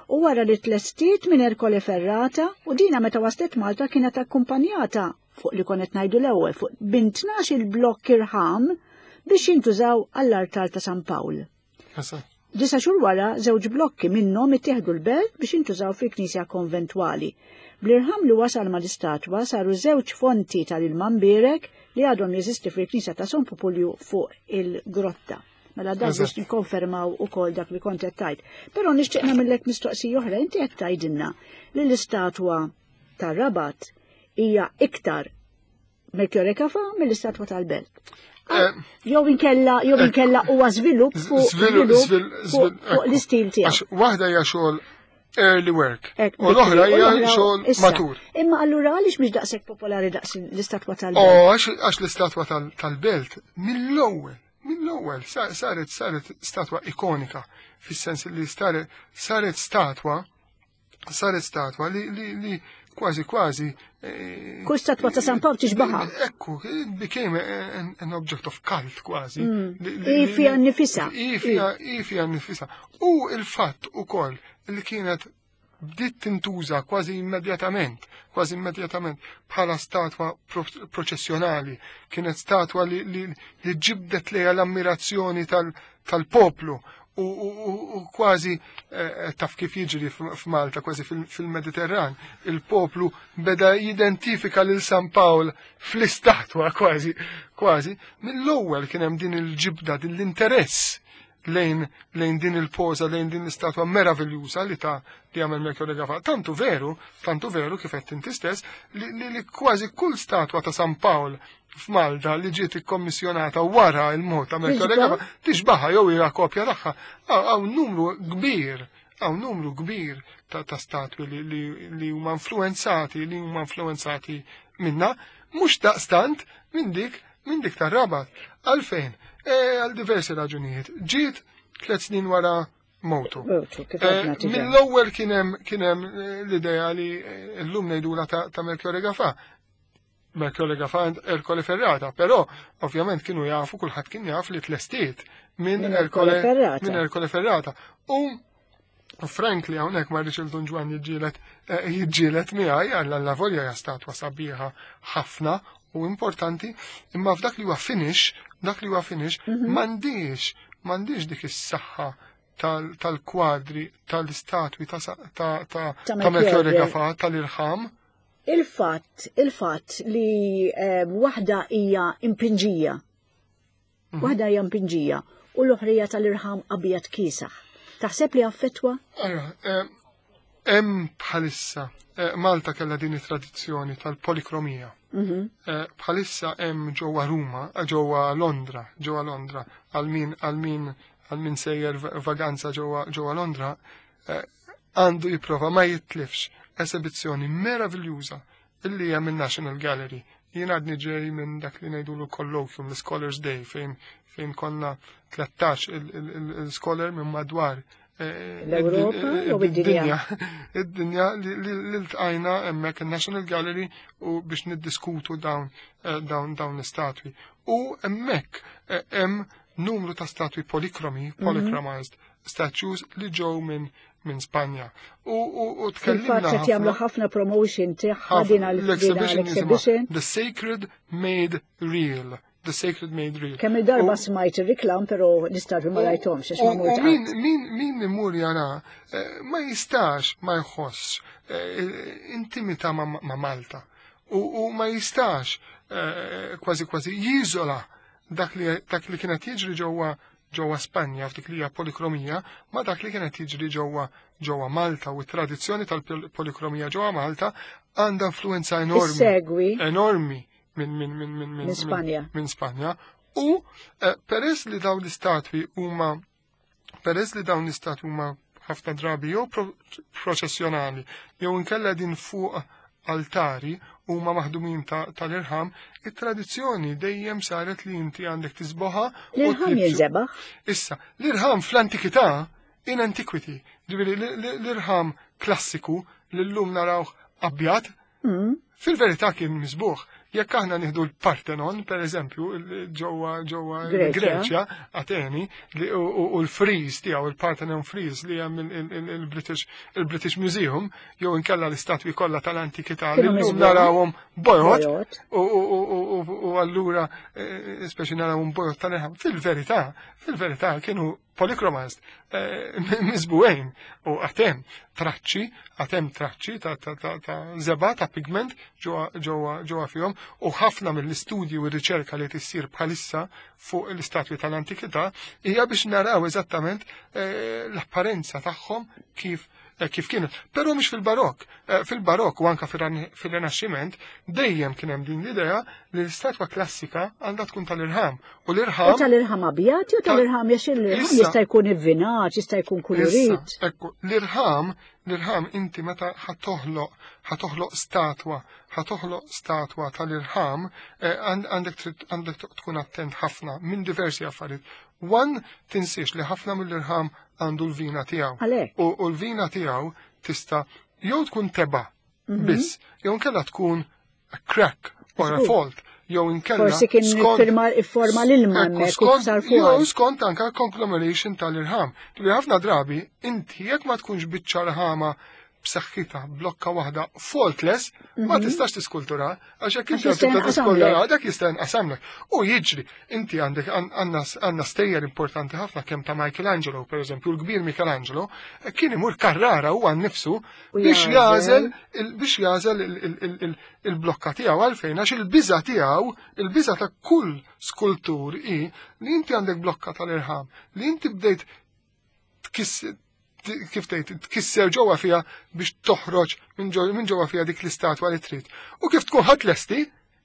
u wara li tlestiet minn Ercole Ferrata, u dina meta waslet Malta kienet akkumpanjata fuq li konet ngħidu l-ewwel fuq bin tnax il-blokk irħam biex jintużaw għall-artal ta' San Pawl. Eżatt. Disa xhur wara, żewġ blokki minnhom ittieħdu l-belt biex jintużaw fil-knisja konventwali. Bl-irħam li wasal mal-istatwa saru żewġ fonti tal-ilma mbierek li għadhom jeżisti fil-knisja ta' San Pupulju fuq il-grotta. Mela dak biex Eżatt. nikkonfermaw ukoll dak li kont qed tgħid. Però nixtieq nagħmellek mistoqsija oħra, inti qed tgħidilna li l-istatwa tar-Rabat hija iktar Melchiorre Gafà mill-istatwa tal-Belt. Eh, Jew inkella jew inkella huwa żvilupp fuq Żvilupp, żvilupp żvil- fuq żvil- fuq l-istil tiegħu. Għax waħda hija xogħol early work Ek, u l-oħra u hija l-oħra- xogħol issa. matur. Imma allura għaliex mhix daqshekk popolari daqs l-istatwa tal-Belt? Oh, għax għax l-istatwa tal- tal-belt mill-ewwel, mill-ewwel sa- saret saret statwa ikonika fis-sens li saret saret statwa saret statwa li li li kważi kważi eh, Kull statwa ta' San Pawl tixbaħa. Ekku, it became an, an object of cult kważi. Mm. Li- li- I fija nnifisha. I fija, i fija nnifisha. U il-fatt ukoll li kienet bdiet tintuża kważi immedjatament, kważi immedjatament bħala statwa pro- proċessjonali, kienet statwa li, li, li ġibdet lejha l-ammirazzjoni tal- tal-poplu u, u, u, u kważi eh, taf kif jiġri f'Malta, kważi fil-Mediterran, il-poplu beda jidentifika lil San Pawl fl-istatwa kważi, kważi, mill-ewwel kien hemm din il-ġibda, din l-interess lejn lejn din il-poza, lejn din l-istatwa meraviljuża li ta' li għamel Melchiorre Gafà. Tantu veru, tantu veru kif qed inti stess, li, li, li kważi kull statwa ta' San Pawl f'Malta li ġiet ikkommissjonata wara il-mot ta' Melchiorre Tixbaħ? Gafà tixbaħha jew hija kopja tagħha. Hawn numru kbir, hawn numru kbir ta', ta' statwi li, li, li huma influenzati, li huma influenzati minna, mhux daqstant minn dik minn dik tar-Rabat. Għalfejn? E, għal diversi raġunijiet. Ġiet tliet snin wara mewtu. Mewtu, kif Eh, għedna diġà. Mill-ewwel kien hemm kien hemm eh, l-idea li eh, llum ngħidula ta', ta' Melchiorre Gafà. Melchiorre Gafà Ercole Ferrata, però ovvjament kienu jafu, kulħadd kien jaf li tlestiet minn Minn Ercole Ercole Ferrata. Minn Ercole Ferrata. U frankly hawnhekk ma rridx il-Dun Ġwann jiġġieled eh, jiġġieled miegħi għal la volja hija statwa sabiħa ħafna u importanti, imma f'dak li huwa finish, dak li huwa finish, m'għandix m'għandix dik is-saħħa tal- tal-kwadri, tal-istatwi ta' sa- ta' ta' Ta' ta' Melchiorre Melchiorre. Gafà, tal-irħam. Il-fatt, il-fatt li eh, waħda hija impinġija. Waħda hija impinġija u l-oħrija tal-irħam abjad kiesaħ. Taħseb li affettwa? Allora, eh, hemm bħalissa eh, Malta kellha din it-tradizzjoni tal-polikromija. Mhm. Eh, Bħalissa hemm ġewwa Ruma, eh, ġewwa Londra, ġewwa Londra, għal min għal min għal min sejjer vaganza ġewwa ġewwa Londra, eh, għandu jipprova ma jitlifx esibizzjoni meraviljuża illi hemm il-National Gallery. Jien għadni ġej minn dak li ngħidulu colloquium, l-Scholars Day, fejn fejn konna tlettax il-scholar minn madwar eh, L-Ewropa jew id-dinja? Id-dinja li li ltqajna hemmhekk il-National Gallery u biex niddiskutu dawn eh, dawn dawn l-istatwi. U hemmhekk eh, hemm numru ta' statwi polikromi, polychromized statues li ġew minn minn Spanja. U, u, u Fil-fatt tkellimna qed jagħmlu ħafna promotion tagħha din għal l-exhibition l-exhibition. jisimha The Sacred Made Real. The Sacred Made Real. Kemm il-darba U- smajt ir-reklam però l-istatwi ma rajthomx għax ma U mort u min, qatt. min, min imur jara eh, ma jistax ma jħoss eh, intimità ma, ma Malta u, u ma jistax eh, kważi kważi jiżola dak li, dak li kienet jiġri ġewwa ġewwa Spanja f'dik li hija polikromija ma dak li kienet jiġri ġewwa ġewwa Malta u t-tradizzjoni tal-polikromija ġewwa Malta għandha influenza enormi Issegwi enormi minn minn minn minn Minn Spanja. minn Spanja u eh, peress li dawn l-istatwi huma peress li dawn l-istatwi huma ħafna drabi jew pro proċessjonali jew inkella din fuq altari huma maħdumin ta- tal-irħam, it-tradizzjoni dejjem saret li inti għandek tisboħa u L-irħam tlibsu. jinżebaħ. Issa, l-irħam fl-antikità, in antiquity, ġifieri l- l- l-irħam klassiku li llum narawh abjad, Mm. fil-verità kien misbuħ. Jekk aħna nieħdu l-Partenon, per eżempju, il- ġewwa ġewwa Greċja. Greċja, Ateni, li- u u- u l-frieze tiegħu, il-Partenon frieze li hemm il- il- il- il-British il-British Museum, jew inkella l-istatwi kollha tal-antikità li Kienu llum miżbuħ. narawhom bojod, Bojod. u u- u- u- u allura eh, speċi narawhom bojod tal-irħam. Fil-verità, fil-verità kienu polychromized, eh, miżbugħin u għad hemm traċċi, għad hemm traċċi ta' ta' ta' ta' żebgħa ta' pigment ġewwa ġewwa ġewwa fihom u ħafna mill-istudji u r-riċerka li tissir bħalissa fuq l-istatwi tal-antikità hija biex naraw eżattament eh, l-apparenza tagħhom kif eh, kif kienet. Però mhix fil-barok. Eh, Fil-barok u anka fir- fil-Rinaxximent dejjem kien hemm din l-idea li l-istatwa klassika għandha tkun tal-irħam. U U l-irħam tal-irħam abjad jew tal-irħam jax l-irħam Issa- jista' jkun ivvinat, jista' jkun kulurit. Issa, ekku, l-irħam, l-irħam inti meta ħatoħloq, ħatoħloq statwa, ħatoħloq statwa tal-irħam, eh, għand- għandek trid- għandek tkun attent ħafna minn diversi affarijiet. One, tinsiex li ħafna mill-irħam għandu l-vina tiegħu. Għalhekk. U, u l-vina tiegħu tista' jew tkun tebgħa Mhm. biss, jew inkella tkun a crack or a Żgur. fault, jew inkella Forsi kien skont- iffirma ifforma l-ilma Ekku, hemmhekk u skont, sar jew fuq. skont anka conglomeration tal-irħam. Li ħafna drabi, inti jekk ma tkunx biċċa rħama b'saħħitha blokka waħda faultless, ma tistax tiskultura, għax jekk Mhm. Għax inti jista' tibda jinqasamlek. tiskultura, dak jista' jinqasamlek. U jiġri, inti għandek għandna għandna stejjer importanti ħafna kemm ta' Michelangelo, per eżempju, l-kbir Michelangelo, kien imur Carrara huwa nnifsu U biex jagħżel. jagħżel il- biex jagħżel il- il- il- il- il-blokka tiegħu għalfejn għax il-biża tiegħu, il-biża ta' kull skultur hi li inti għandek blokka tal-irħam, li inti bdejt tkiss t- kif tgħid tkisser ġewwa fiha biex toħroġ minn ġew- minn ġewwa fiha dik l-istatwa li trid. U kif tkun ħadd lesti,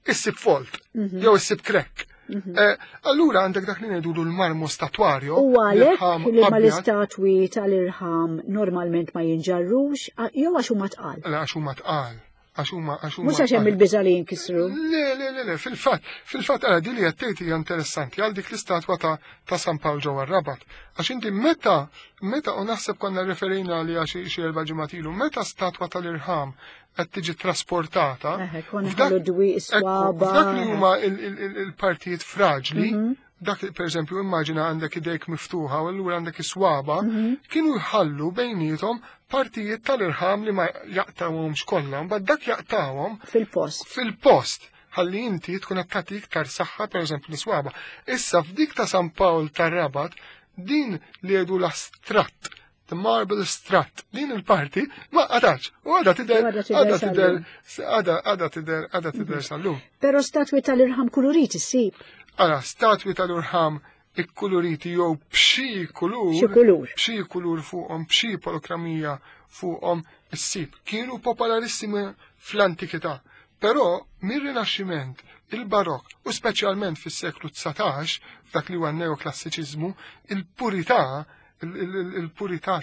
issib fault jew issib crack. Eh, Allura għandek dak li ngħidulu l-marmu statwarju. U għalhekk l-irħam li ma abjad. l-istatwi tal-irħam normalment ma jinġarrux, a- jew għax huma tqal. La, għax huma tqal. Għax huma għax huma Mhux għax hemm tqal. il-biża' li jinkisru. Le, le, le, le, fil-fatt, fil-fatt għara di li għattejt hija interessanti għal dik l-istatwa ta' ta' San Pawl ġewwa Rabat. Għax inti meta, meta u naħseb konna referejna li xi xi erba' ġimgħat ilu, meta statwa tal-irħam qed tiġi trasportata, Eħe, konna f'dak- ħallu dwi ekku, swaba. f'dak li huma il- il- il- il-partijiet fraġli, Mhm. dak per eżempju immaġina għandek idejk miftuħa u allura għandek is-swaba, Mhm. kienu jħallu bejnietom partijiet tal-irħam li ma jaqtawhomx kollha, mbagħad dak jaqtawhom Fil-post. fil-post ħalli inti tkun qed tagħti iktar saħħa pereżempju l-iswaba. Issa f'dik ta' San Pawl tar-Rabat din li jgħidu la strut, the marble strut, din il-parti ma qatax u għadha tidher U għadha tidher għadha tidher għadha għadha tidher għadha tidher sal-lum. Però statwi tal-irħam kulurit issib. Ara, statwi tal-irħam ikkuluriti jew b'xi kulur, Xi kulur. b'xi kulur fuqhom, b'xi polokramija fuqhom issib. Kienu popolarissimi fl-antikità. Però mir-Rinaxximent, il-Barok u speċjalment fis-seklu dsatax, f'dak li huwa neoklassiċiżmu, il-purità il-purità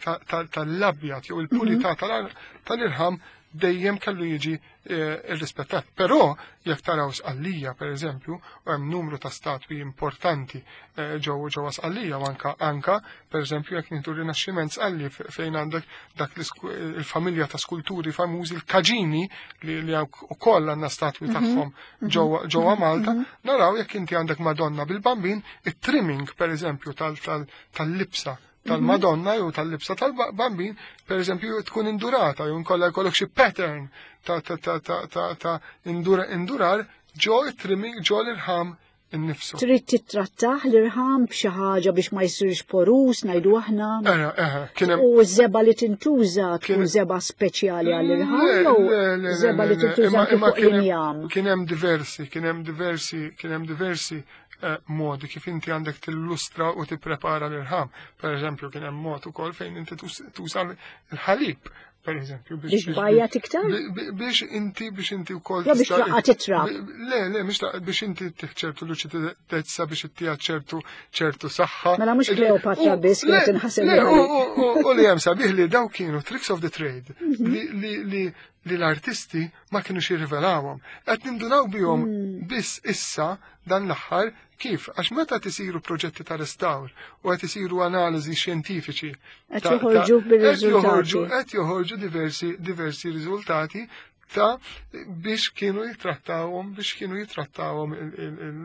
tal-abjad jew il-purità tal-irħam dejjem kellu jiġi eh, irrispettat. Però jekk taraw Sqallija, per eżempju, u hemm numru ta' statwi importanti eh, ġew ġewwa Sqallija u anka anka per eżempju jekk nieħdu Rinaxximent Sqalli fejn għandek dak il-familja ta' skulturi famużi l-Kaġini li li ukoll għandna statwi mhm. tagħhom mhm. ġewwa Malta, mhm. naraw jekk inti għandek Madonna bil-Bambin, it-trimming per eżempju tal-libsa tal-Madonna jew tal-libsa tal-Bambin, per eżempju, tkun indurata, jew nkolla jkollok xi pattern ta' ta' ta' ta' ta' ta' indurar ġo it-trimming ġo l-irħam innifsu. Trid tittrattah l-irħam b'xi ħaġa biex ma jsirx porus, ngħidu aħna. Eħe, eħe, kien hemm U żebgħa li tintuża tkun żebgħa speċjali għall-irħam jew żebgħa li tintuża fuq l-injam. Kien hemm diversi, kien hemm diversi, kien hemm diversi eh, modi kif inti għandek tillustra u tipprepara l-irħam. Per eżempju, kien hemm mod ukoll fejn inti tuża l-ħalib, per eżempju. Biex bajja iktar? Biex inti, biex inti wkoll. Ja biex taqqa' titrab. Le, le, mhux biex inti ċertu luċidezza biex ittija ċertu ċertu saħħa. Mela mhux Kleopatra biss kienet inħaseb. U li hemm sabiħ li daw kienu tricks of the trade mhm. li li l-artisti ma kienu jirrivelawhom. Qed nindunaw bihom mm. biss issa dan l-aħħar kif? Għax meta tisiru proġetti ta' restawr u qed isiru analiżi xjentifiċi. Qed joħorġu bir-riżultati. Qed joħorġu diversi diversi riżultati ta' biex kienu jitrattawhom biex kienu jitrattawhom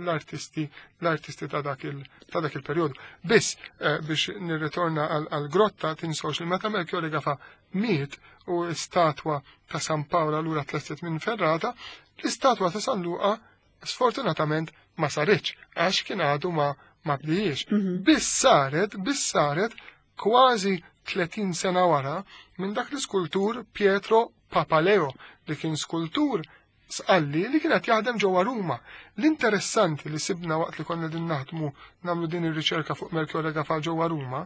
l-artisti l-artisti ta' dak il ta' dak il-perjodu. Biss eh, biex nirritorna għal-grotta tinsawx li meta Melchiorre Gafa miet u statwa ta' San Paola lura tlestet minn Ferrata, l-istatwa ta' San Luqa sfortunatament ma saritx għax kien għadu ma ma bdijiex. Mhm. Biss saret, biss saret kważi tletin sena wara minn dak l-iskultur Pietro Papaleo li kien skultur Sqalli li kienet jaħdem ġewwa Ruma. L-interessanti li sibna waqt li konna din naħdmu nagħmlu din ir-riċerka fuq Melchiorre Gafà ġewwa Ruma,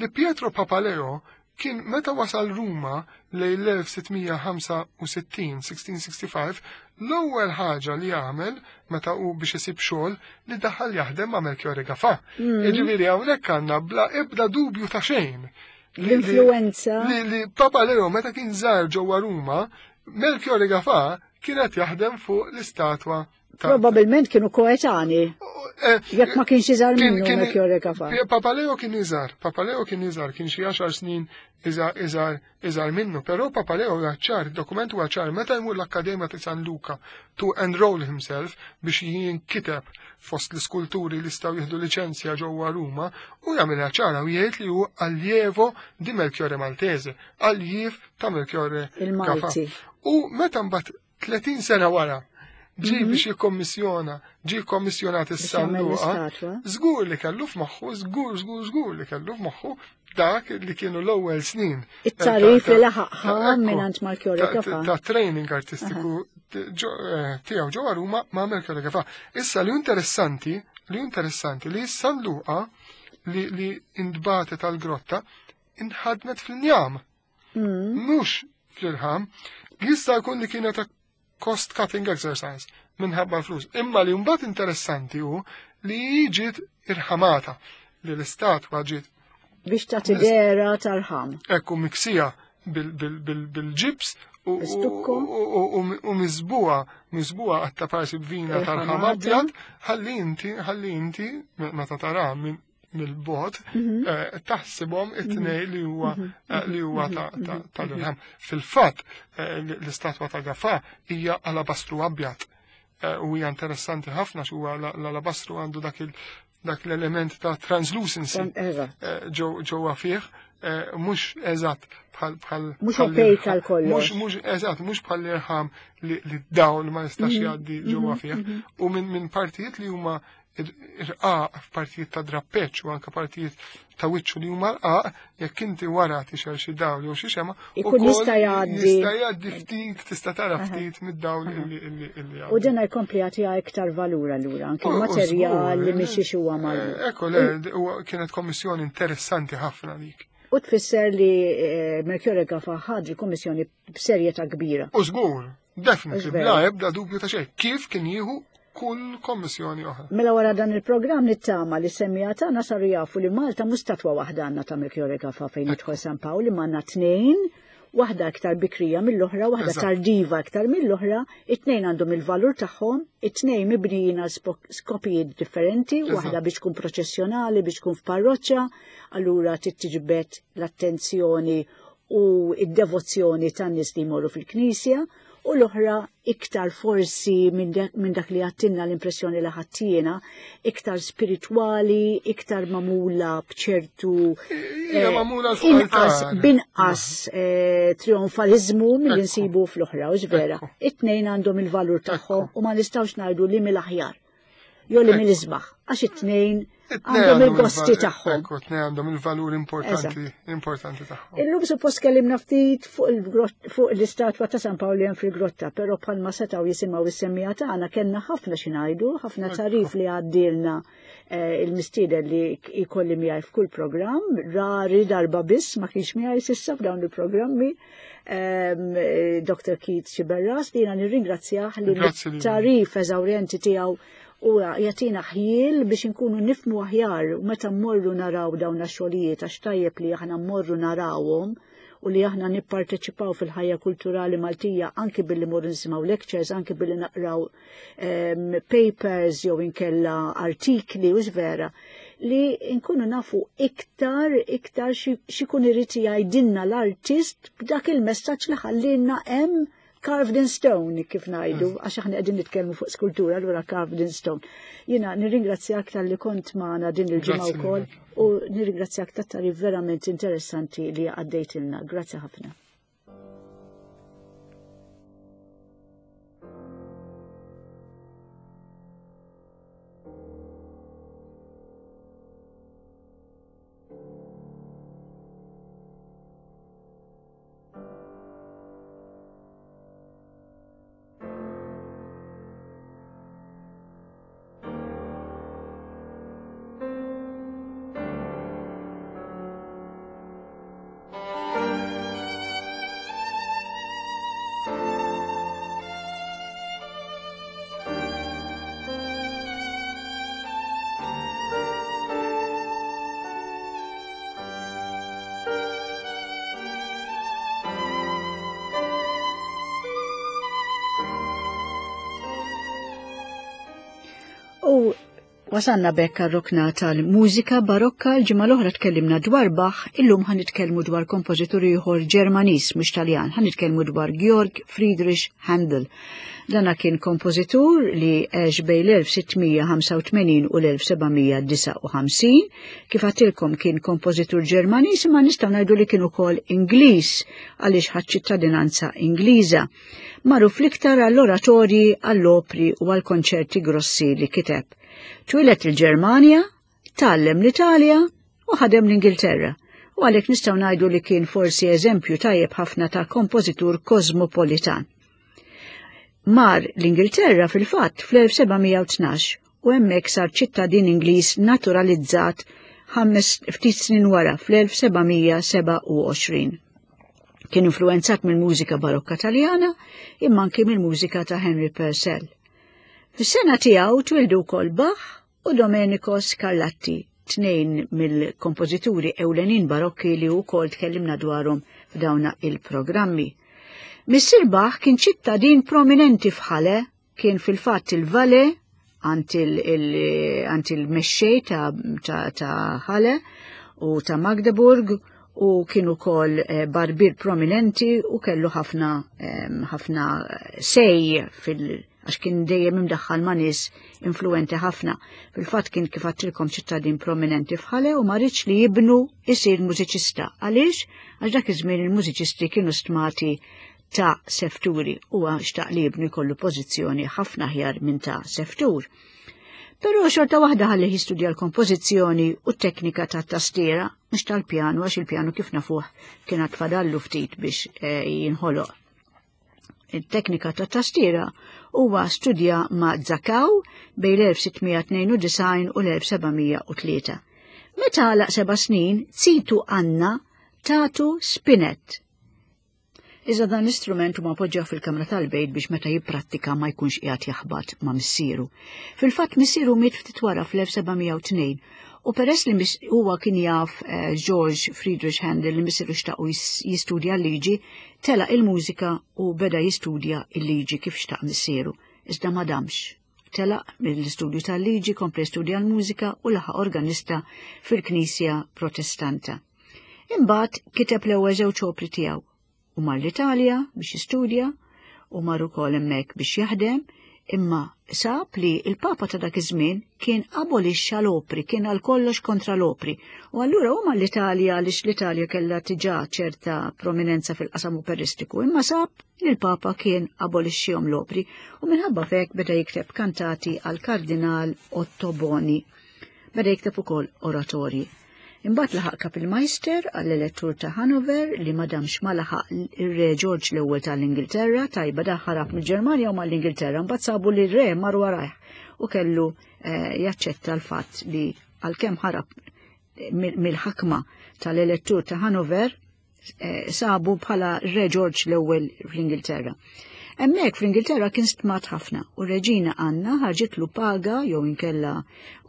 li Pietro Papaleo kien meta wasal Ruma lejn l-elf sitt mija ħamsa u sittin, sixteen sixty-five, l-ewwel ħaġa li għamel meta u biex isib xogħol li daħal jaħdem ma' Melchiorre Gafà. Mm. Jiġifieri hawnhekk għandna bla ebda dubju ta' xejn l-influenza. Li, li Papaleo meta kien żar ġewwa Ruma, Melchiorre Gafà kienet jaħdem fuq l-istatwa. Probabilment kienu koetani. Eh, Jekk ma kienx iżgħar minnu Melchiorre Gafà. Papaleo kien iżgħar, Papaleo kien iżgħar, kien xi għaxar snin iżgħar iżgħar minnu, però Papaleo huwa ċar, dokument huwa ċar, meta jmur l-Akkademja ta' San Luca to enroll himself biex jinkiteb fost l-iskulturi li jistgħu jieħdu liċenzja ġewwa Ruma, u jagħmilha ċara u jgħid li hu allievo di Melchiorre Maltese, alliev ta' Melchiorre Il-Malti. U meta mbagħad tletin sena wara ġi mhm. biex jikkommissjona, ġi kommissjonat is-San Luqa, żgur li kellu f'moħħu, żgur, żgur, żgur li kellu f'moħħu dak li kienu l-ewwel snin. It-tarif li laħaqha mingħand Melchiorre Gafà. Ta' training artistiku eh, tiegħu ġewwa Ruma ma' Melchiorre Gafà. Issa li interessanti, li interessanti li San Luqa li li intbagħtet tal-grotta inħadmet fl-injam. Mm. Mhux fl-irħam. Jista' jkun li kienet cost cutting exercise minħabba flus. Imma li mbagħad interessanti hu li ġiet irħamata, li l-istatwa ġiet biex ta' tidera tal-ħam. Ekku, miksija bil-ġibs u miżbugħa miżbugħa għatta parsi b'vina tal-ħam abjad, ħalli inti ħalli inti meta tara mill-bogħod mhm. eh, taħsibhom it-tnej li huwa mhm. eh, li huwa tal-irħam. Fil-fatt eh, l-istatwa ta' Gafà hija alabastru abjad u hija interessanti ħafna huwa l-alabastru għandu dak il dak l-element ta' translucency ġewwa fih, mhux eżatt bħal bħal Mhux opaque għal kollox. Mhux eżatt, mhux bħal l-irħam li dawl ma jistax mhm. jgħaddi ġewwa fih. U minn partijiet li huma irqaq, f'partijiet ta' drappeċ u anka partijiet ta' wiċċu li huma rqaq, jekk inti wara tixgħel xi dawl jew xi xemgħa, Ikun jista' jgħaddi. Jista' jgħaddi ftit, tista' tara ftit mid-dawl illi illi illi U dan jkompli jagħtiha iktar valur allura, anke l-materjal li mhix huwa magħruf. Ekku, le, kienet kommissjoni interessanti ħafna dik. U tfisser li eh, Melchiorre Gafà ħa l-kommissjoni b'serjetà kbira. U żgur, definitely, bla ebda dubju ta' xejn. Kif kien jieħu kull kommissjoni oħra. Mela wara dan il-programm nittama li semmiegħa tagħna saru jafu li Malta mhux statwa waħda għandna ta' Melchiorre Gafà fejn jidħol San Pawl, imma għandna tnejn Waħda aktar bikrija mill-oħra, waħda tardiva aktar mill-oħra, it-tnejn għandhom il-valur tagħhom, it-tnejn mibnijin għal skopijiet differenti, waħda biex tkun proċessjonali, biex tkun f'parroċċa, allura tittiġbed l-attenzjoni u id-devozzjoni tan-nies li jmorru fil-knisja, u l-oħra iktar forsi minn dak li għattinna l-impressjoni li ħattiena, iktar spiritwali, iktar mamula bċertu inqas binqas trionfalizmu mill nsibu fl-oħra, u vera. It-tnejn għandhom il-valur tagħhom u ma nistgħux ngħidu li mill-aħjar jew li mill-isbaħ, għax it-tnejn għandhom il-gosti tagħhom. Ekku, tnejn għandhom il-valur importanti importanti tagħhom. Illum suppost kellimna ftit fuq l-istatwa ta' San Pawl hemm fil-grotta, però bħalma setgħu jisimgħu is-semmija tagħna kellna ħafna xi ngħidu, ħafna tarif li għaddielna il-mistieden li jkolli miegħi f'kull programm, rari darba biss ma kienx miegħi s'issa f'dawn il-programmi. Doktor Keith Sciberras li jiena nirringrazzjah li tarif eżawrjenti tiegħu u jatina ħjiel biex inkunu nifmu aħjar u meta mmorru naraw dawn ix-xogħlijiet, għax tajjeb li aħna mmorru narawhom u li aħna nipparteċipaw fil-ħajja kulturali Maltija anki billi mmorru nisimgħu lectures, anki billi naqraw um, papers jew inkella artikli u vera li nkunu nafu iktar iktar x'ikun irid jgħidilna l-artist b'dak il-messaġġ li ħallilna hemm carved in stone, kif ngħidu, għax aħna qegħdin nitkellmu fuq skultura, allura carved in stone. Jiena nirringrazzjak talli kont magħna din il-ġimgħa wkoll u nirringrazzjak tat-tarif verament interessanti li għaddejtilna. Grazzi ħafna. U wasanna bekk rokna tal-mużika barokka. L-ġimgħa l-oħra tkellimna dwar Bach, illum ħa nitkellmu dwar kompożitur ieħor Ġermaniż mhux Taljan, ħa nitkellmu dwar Georg Friedrich Handel. Dana kien kompożitur li għex bejn l-elf sittmija ħamsa u tmenin u l-elf sebgħamija disgħa u ħamsin. Kif għadtilkom kien kompożitur Ġermaniż, imma nistgħu ngħidu li kien ukoll Ingliż għaliex ħadd ċittadinanza Ingliża. Magħruf l-iktar għall-oratorji, għall-opri u għall-konċerti grossi li kiteb. Twieled il-Ġermanja, tgħallem l-Italja u ħadem l-Ingilterra. U għalhekk nistgħu ngħidu li kien forsi eżempju tajjeb ħafna ta' kompożitur kosmopolitan. Mar l-Ingilterra fil-fatt fl-elf sebgħamija u tnax u hemmhekk sar ċittadin Ingliż naturalizzat ħames ftit snin wara fl-elf sebgħamija sebgħa u għoxrin. Kien influenzat mill-mużika barokka Taljana imma anki mill-mużika ta' Henry Purcell. Fis-sena tiegħu twildu wkoll Bach u Domenico Scarlatti, tnejn mill-kompożituri ewlenin barokki li wkoll tkellimna dwarhom f'dawna il-programmi. Missier Bach kien ċittadin prominenti f'Halle, kien fil-fatt il-vale għand il-mexxej ta', ta, ta Halle u ta' Magdeburg, u kien ukoll barbier prominenti u kellu ħafna ħafna sej fil għax kien dejjem imdaħħal ma' nies influenti ħafna. Fil-fatt kien kif għadtilkom ċittadin prominenti f'Halle u ma ridx li jibnu isir mużiċista. Għaliex? Għax dak iż-żmien il-mużiċisti kienu stmati ta' sefturi u xtaq li jibnu jkollu pożizzjoni ħafna aħjar minn ta' seftur. Però xorta waħda ħalli jistudja l-kompożizzjoni u t-teknika ta' tastiera, mhux tal-pjanu, għax il-pjanu kif nafuh kien għad fadallu ftit biex jinħoloq. Il-teknika ta' tastiera huwa studja ma' Zakaw bejn l-elf sittmija tnejn u disgħin u l-elf sebgħamija u tlieta. Meta għalaq seba' snin, zitu Anna tatu spinet. Iżda dan l-istrument huma poġġaw fil-kamra tal-bejt biex meta jipprattika ma jkunx qiegħed jaħbat ma' missieru. Fil-fatt missieru miet ftit wara fl-elf sebgħamija u tnejn U peress li huwa kien jaf eh, George Friedrich Handel li missieru xtaqu jistudja l-liġi, telaq il-mużika u beda jistudja l-liġi kif xtaq missieru. Iżda ma damx. Telaq mill-istudju tal-liġi, kompla studja l-mużika u laħaq organista fil-Knisja Protestanta. Imbagħad kiteb l-ewwel żewġ opri tiegħu u mar l-Italja biex jistudja u mar ukoll hemmhekk biex jaħdem, imma sab li il-Papa ta' dak iż-żmien kien abolixxa l-opri, kien għal kollox kontra l-opri. U allura huma l-Italja, għaliex l-Italja kellha diġà ċerta prominenza fil-qasam operistiku, imma sab li l-Papa kien abolixxihom l-opri u minħabba fek beda jikteb kantati għal Kardinal Ottoboni. Beda jikteb ukoll oratorji. Imbagħad laħaq Kapellmeister għall-elettur ta' Hanover li ma damx ma laħaq ir-re George l-ewwel tal-Ingilterra, tajba da ħarab mill-Ġermanja u mal-Ingilterra, mbagħad sabu li r-re mar warajh u kellu eh, jaċċetta l-fatt li għalkemm ħarab mill-ħakma tal-elettur ta' Hanover, eh, sabu bħala re George l-ewwel fl-Ingilterra. Hemmhekk fl-Ingilterra kien stmat ħafna u reġina Anna ħarġitlu paga jew inkella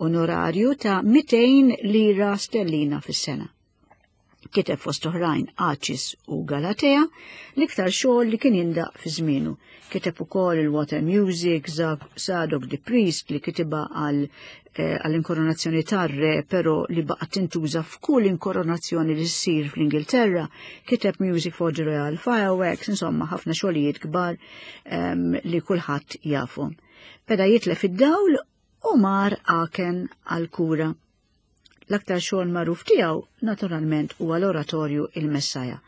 onorarju ta' mitejn lira sterlina fis-sena. Kiteb fost oħrajn Acis u Galatea, l-iktar xogħol li kien jindaq fi żmienu. Kiteb ukoll il-Water Music, Zadok the Priest li kitibha għal għall-inkoronazzjoni tar-re, però li baqgħet tintuża f'kull inkoronazzjoni li ssir fl-Ingilterra. Kiteb Music for the Royal Fireworks, insomma ħafna xogħlijiet kbar um, li kulħadd jafhom. Beda jitlef id-dawl u mar Aachen għal-kura. L-aktar xogħol magħruf tiegħu naturalment huwa l-oratorju Il-Messaja.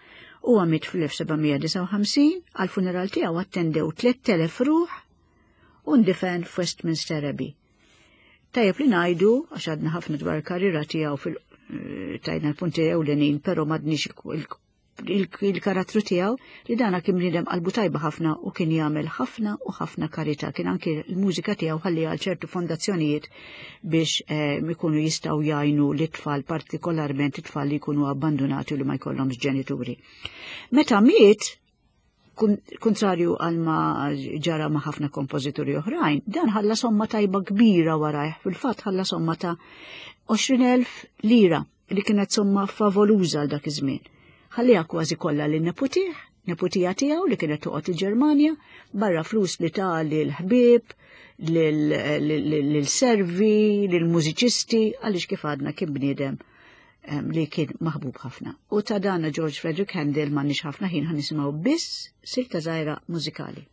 Huwa miet fl-elf sebgħamija disgħa u ħamsin, għall-funeral tiegħu attendew tliet elef ruħ u ndifen f'Westminster Abbey. Tajjeb li ngħidu, għax għadna ħafna dwar il-karriera tiegħu fil tajna l-punti ewlenin, però m'għadniex il-karattru tiegħu, li dana kien bniedem qalbu tajba ħafna u kien jagħmel ħafna u ħafna karità. Kien anki l-mużika tiegħu ħalli għal ċertu fondazzjonijiet biex ikunu jistgħu jgħinu l-itfal, partikolarment it-tfal li jkunu abbandonati u li ma jkollhomx ġenituri. Meta miet, kontrarju għal ma ġara ma' ħafna kompożituri oħrajn, dan ħalla somma tajba kbira warajh, fil-fatt ħalla somma ta' għoxrin elf lira li kienet somma favoluża għal dak iż-żmien. Ħalliha kważi kollha lin neputih, neputija tiegħu li kienet toqgħod il-Ġermanja, barra flus li ta' lil ħbieb, lil servi, lil mużiċisti, għaliex kif għadna kien bniedem li kien maħbub ħafna. U ta' dana George Frederick Handel m'għandniex ħafna ħin, ħa nisimgħu biss silta żgħira mużikali.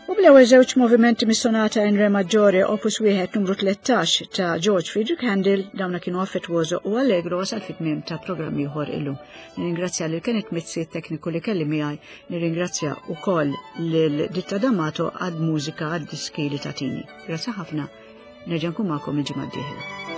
U bl-ewwel żewġ movimenti mis-sonata in re maggiore opus wieħed numru tlettax ta' George Friedrich Handel, dawna kienu Affettuoso u Allegro, wasal fit-tmiem ta' programm ieħor illum. Nirringrazzja lil Kenneth Mizzi, tekniku li kelli miegħi, nirringrazzja wkoll lil Ditta D'Amato għad mużika għad-diski li tatini. Grazzi ħafna, nerġa' nkun magħkom il-ġimgħa d-dieħla.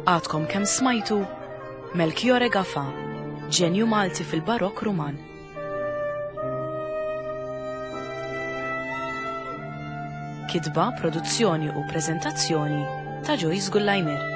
Għadkom kemm smajtu Melchiorre Gafà, ġenju Malti fil-Barokk Ruman. Kitba, produzzjoni u preżentazzjoni ta' Joyce Gullajmer.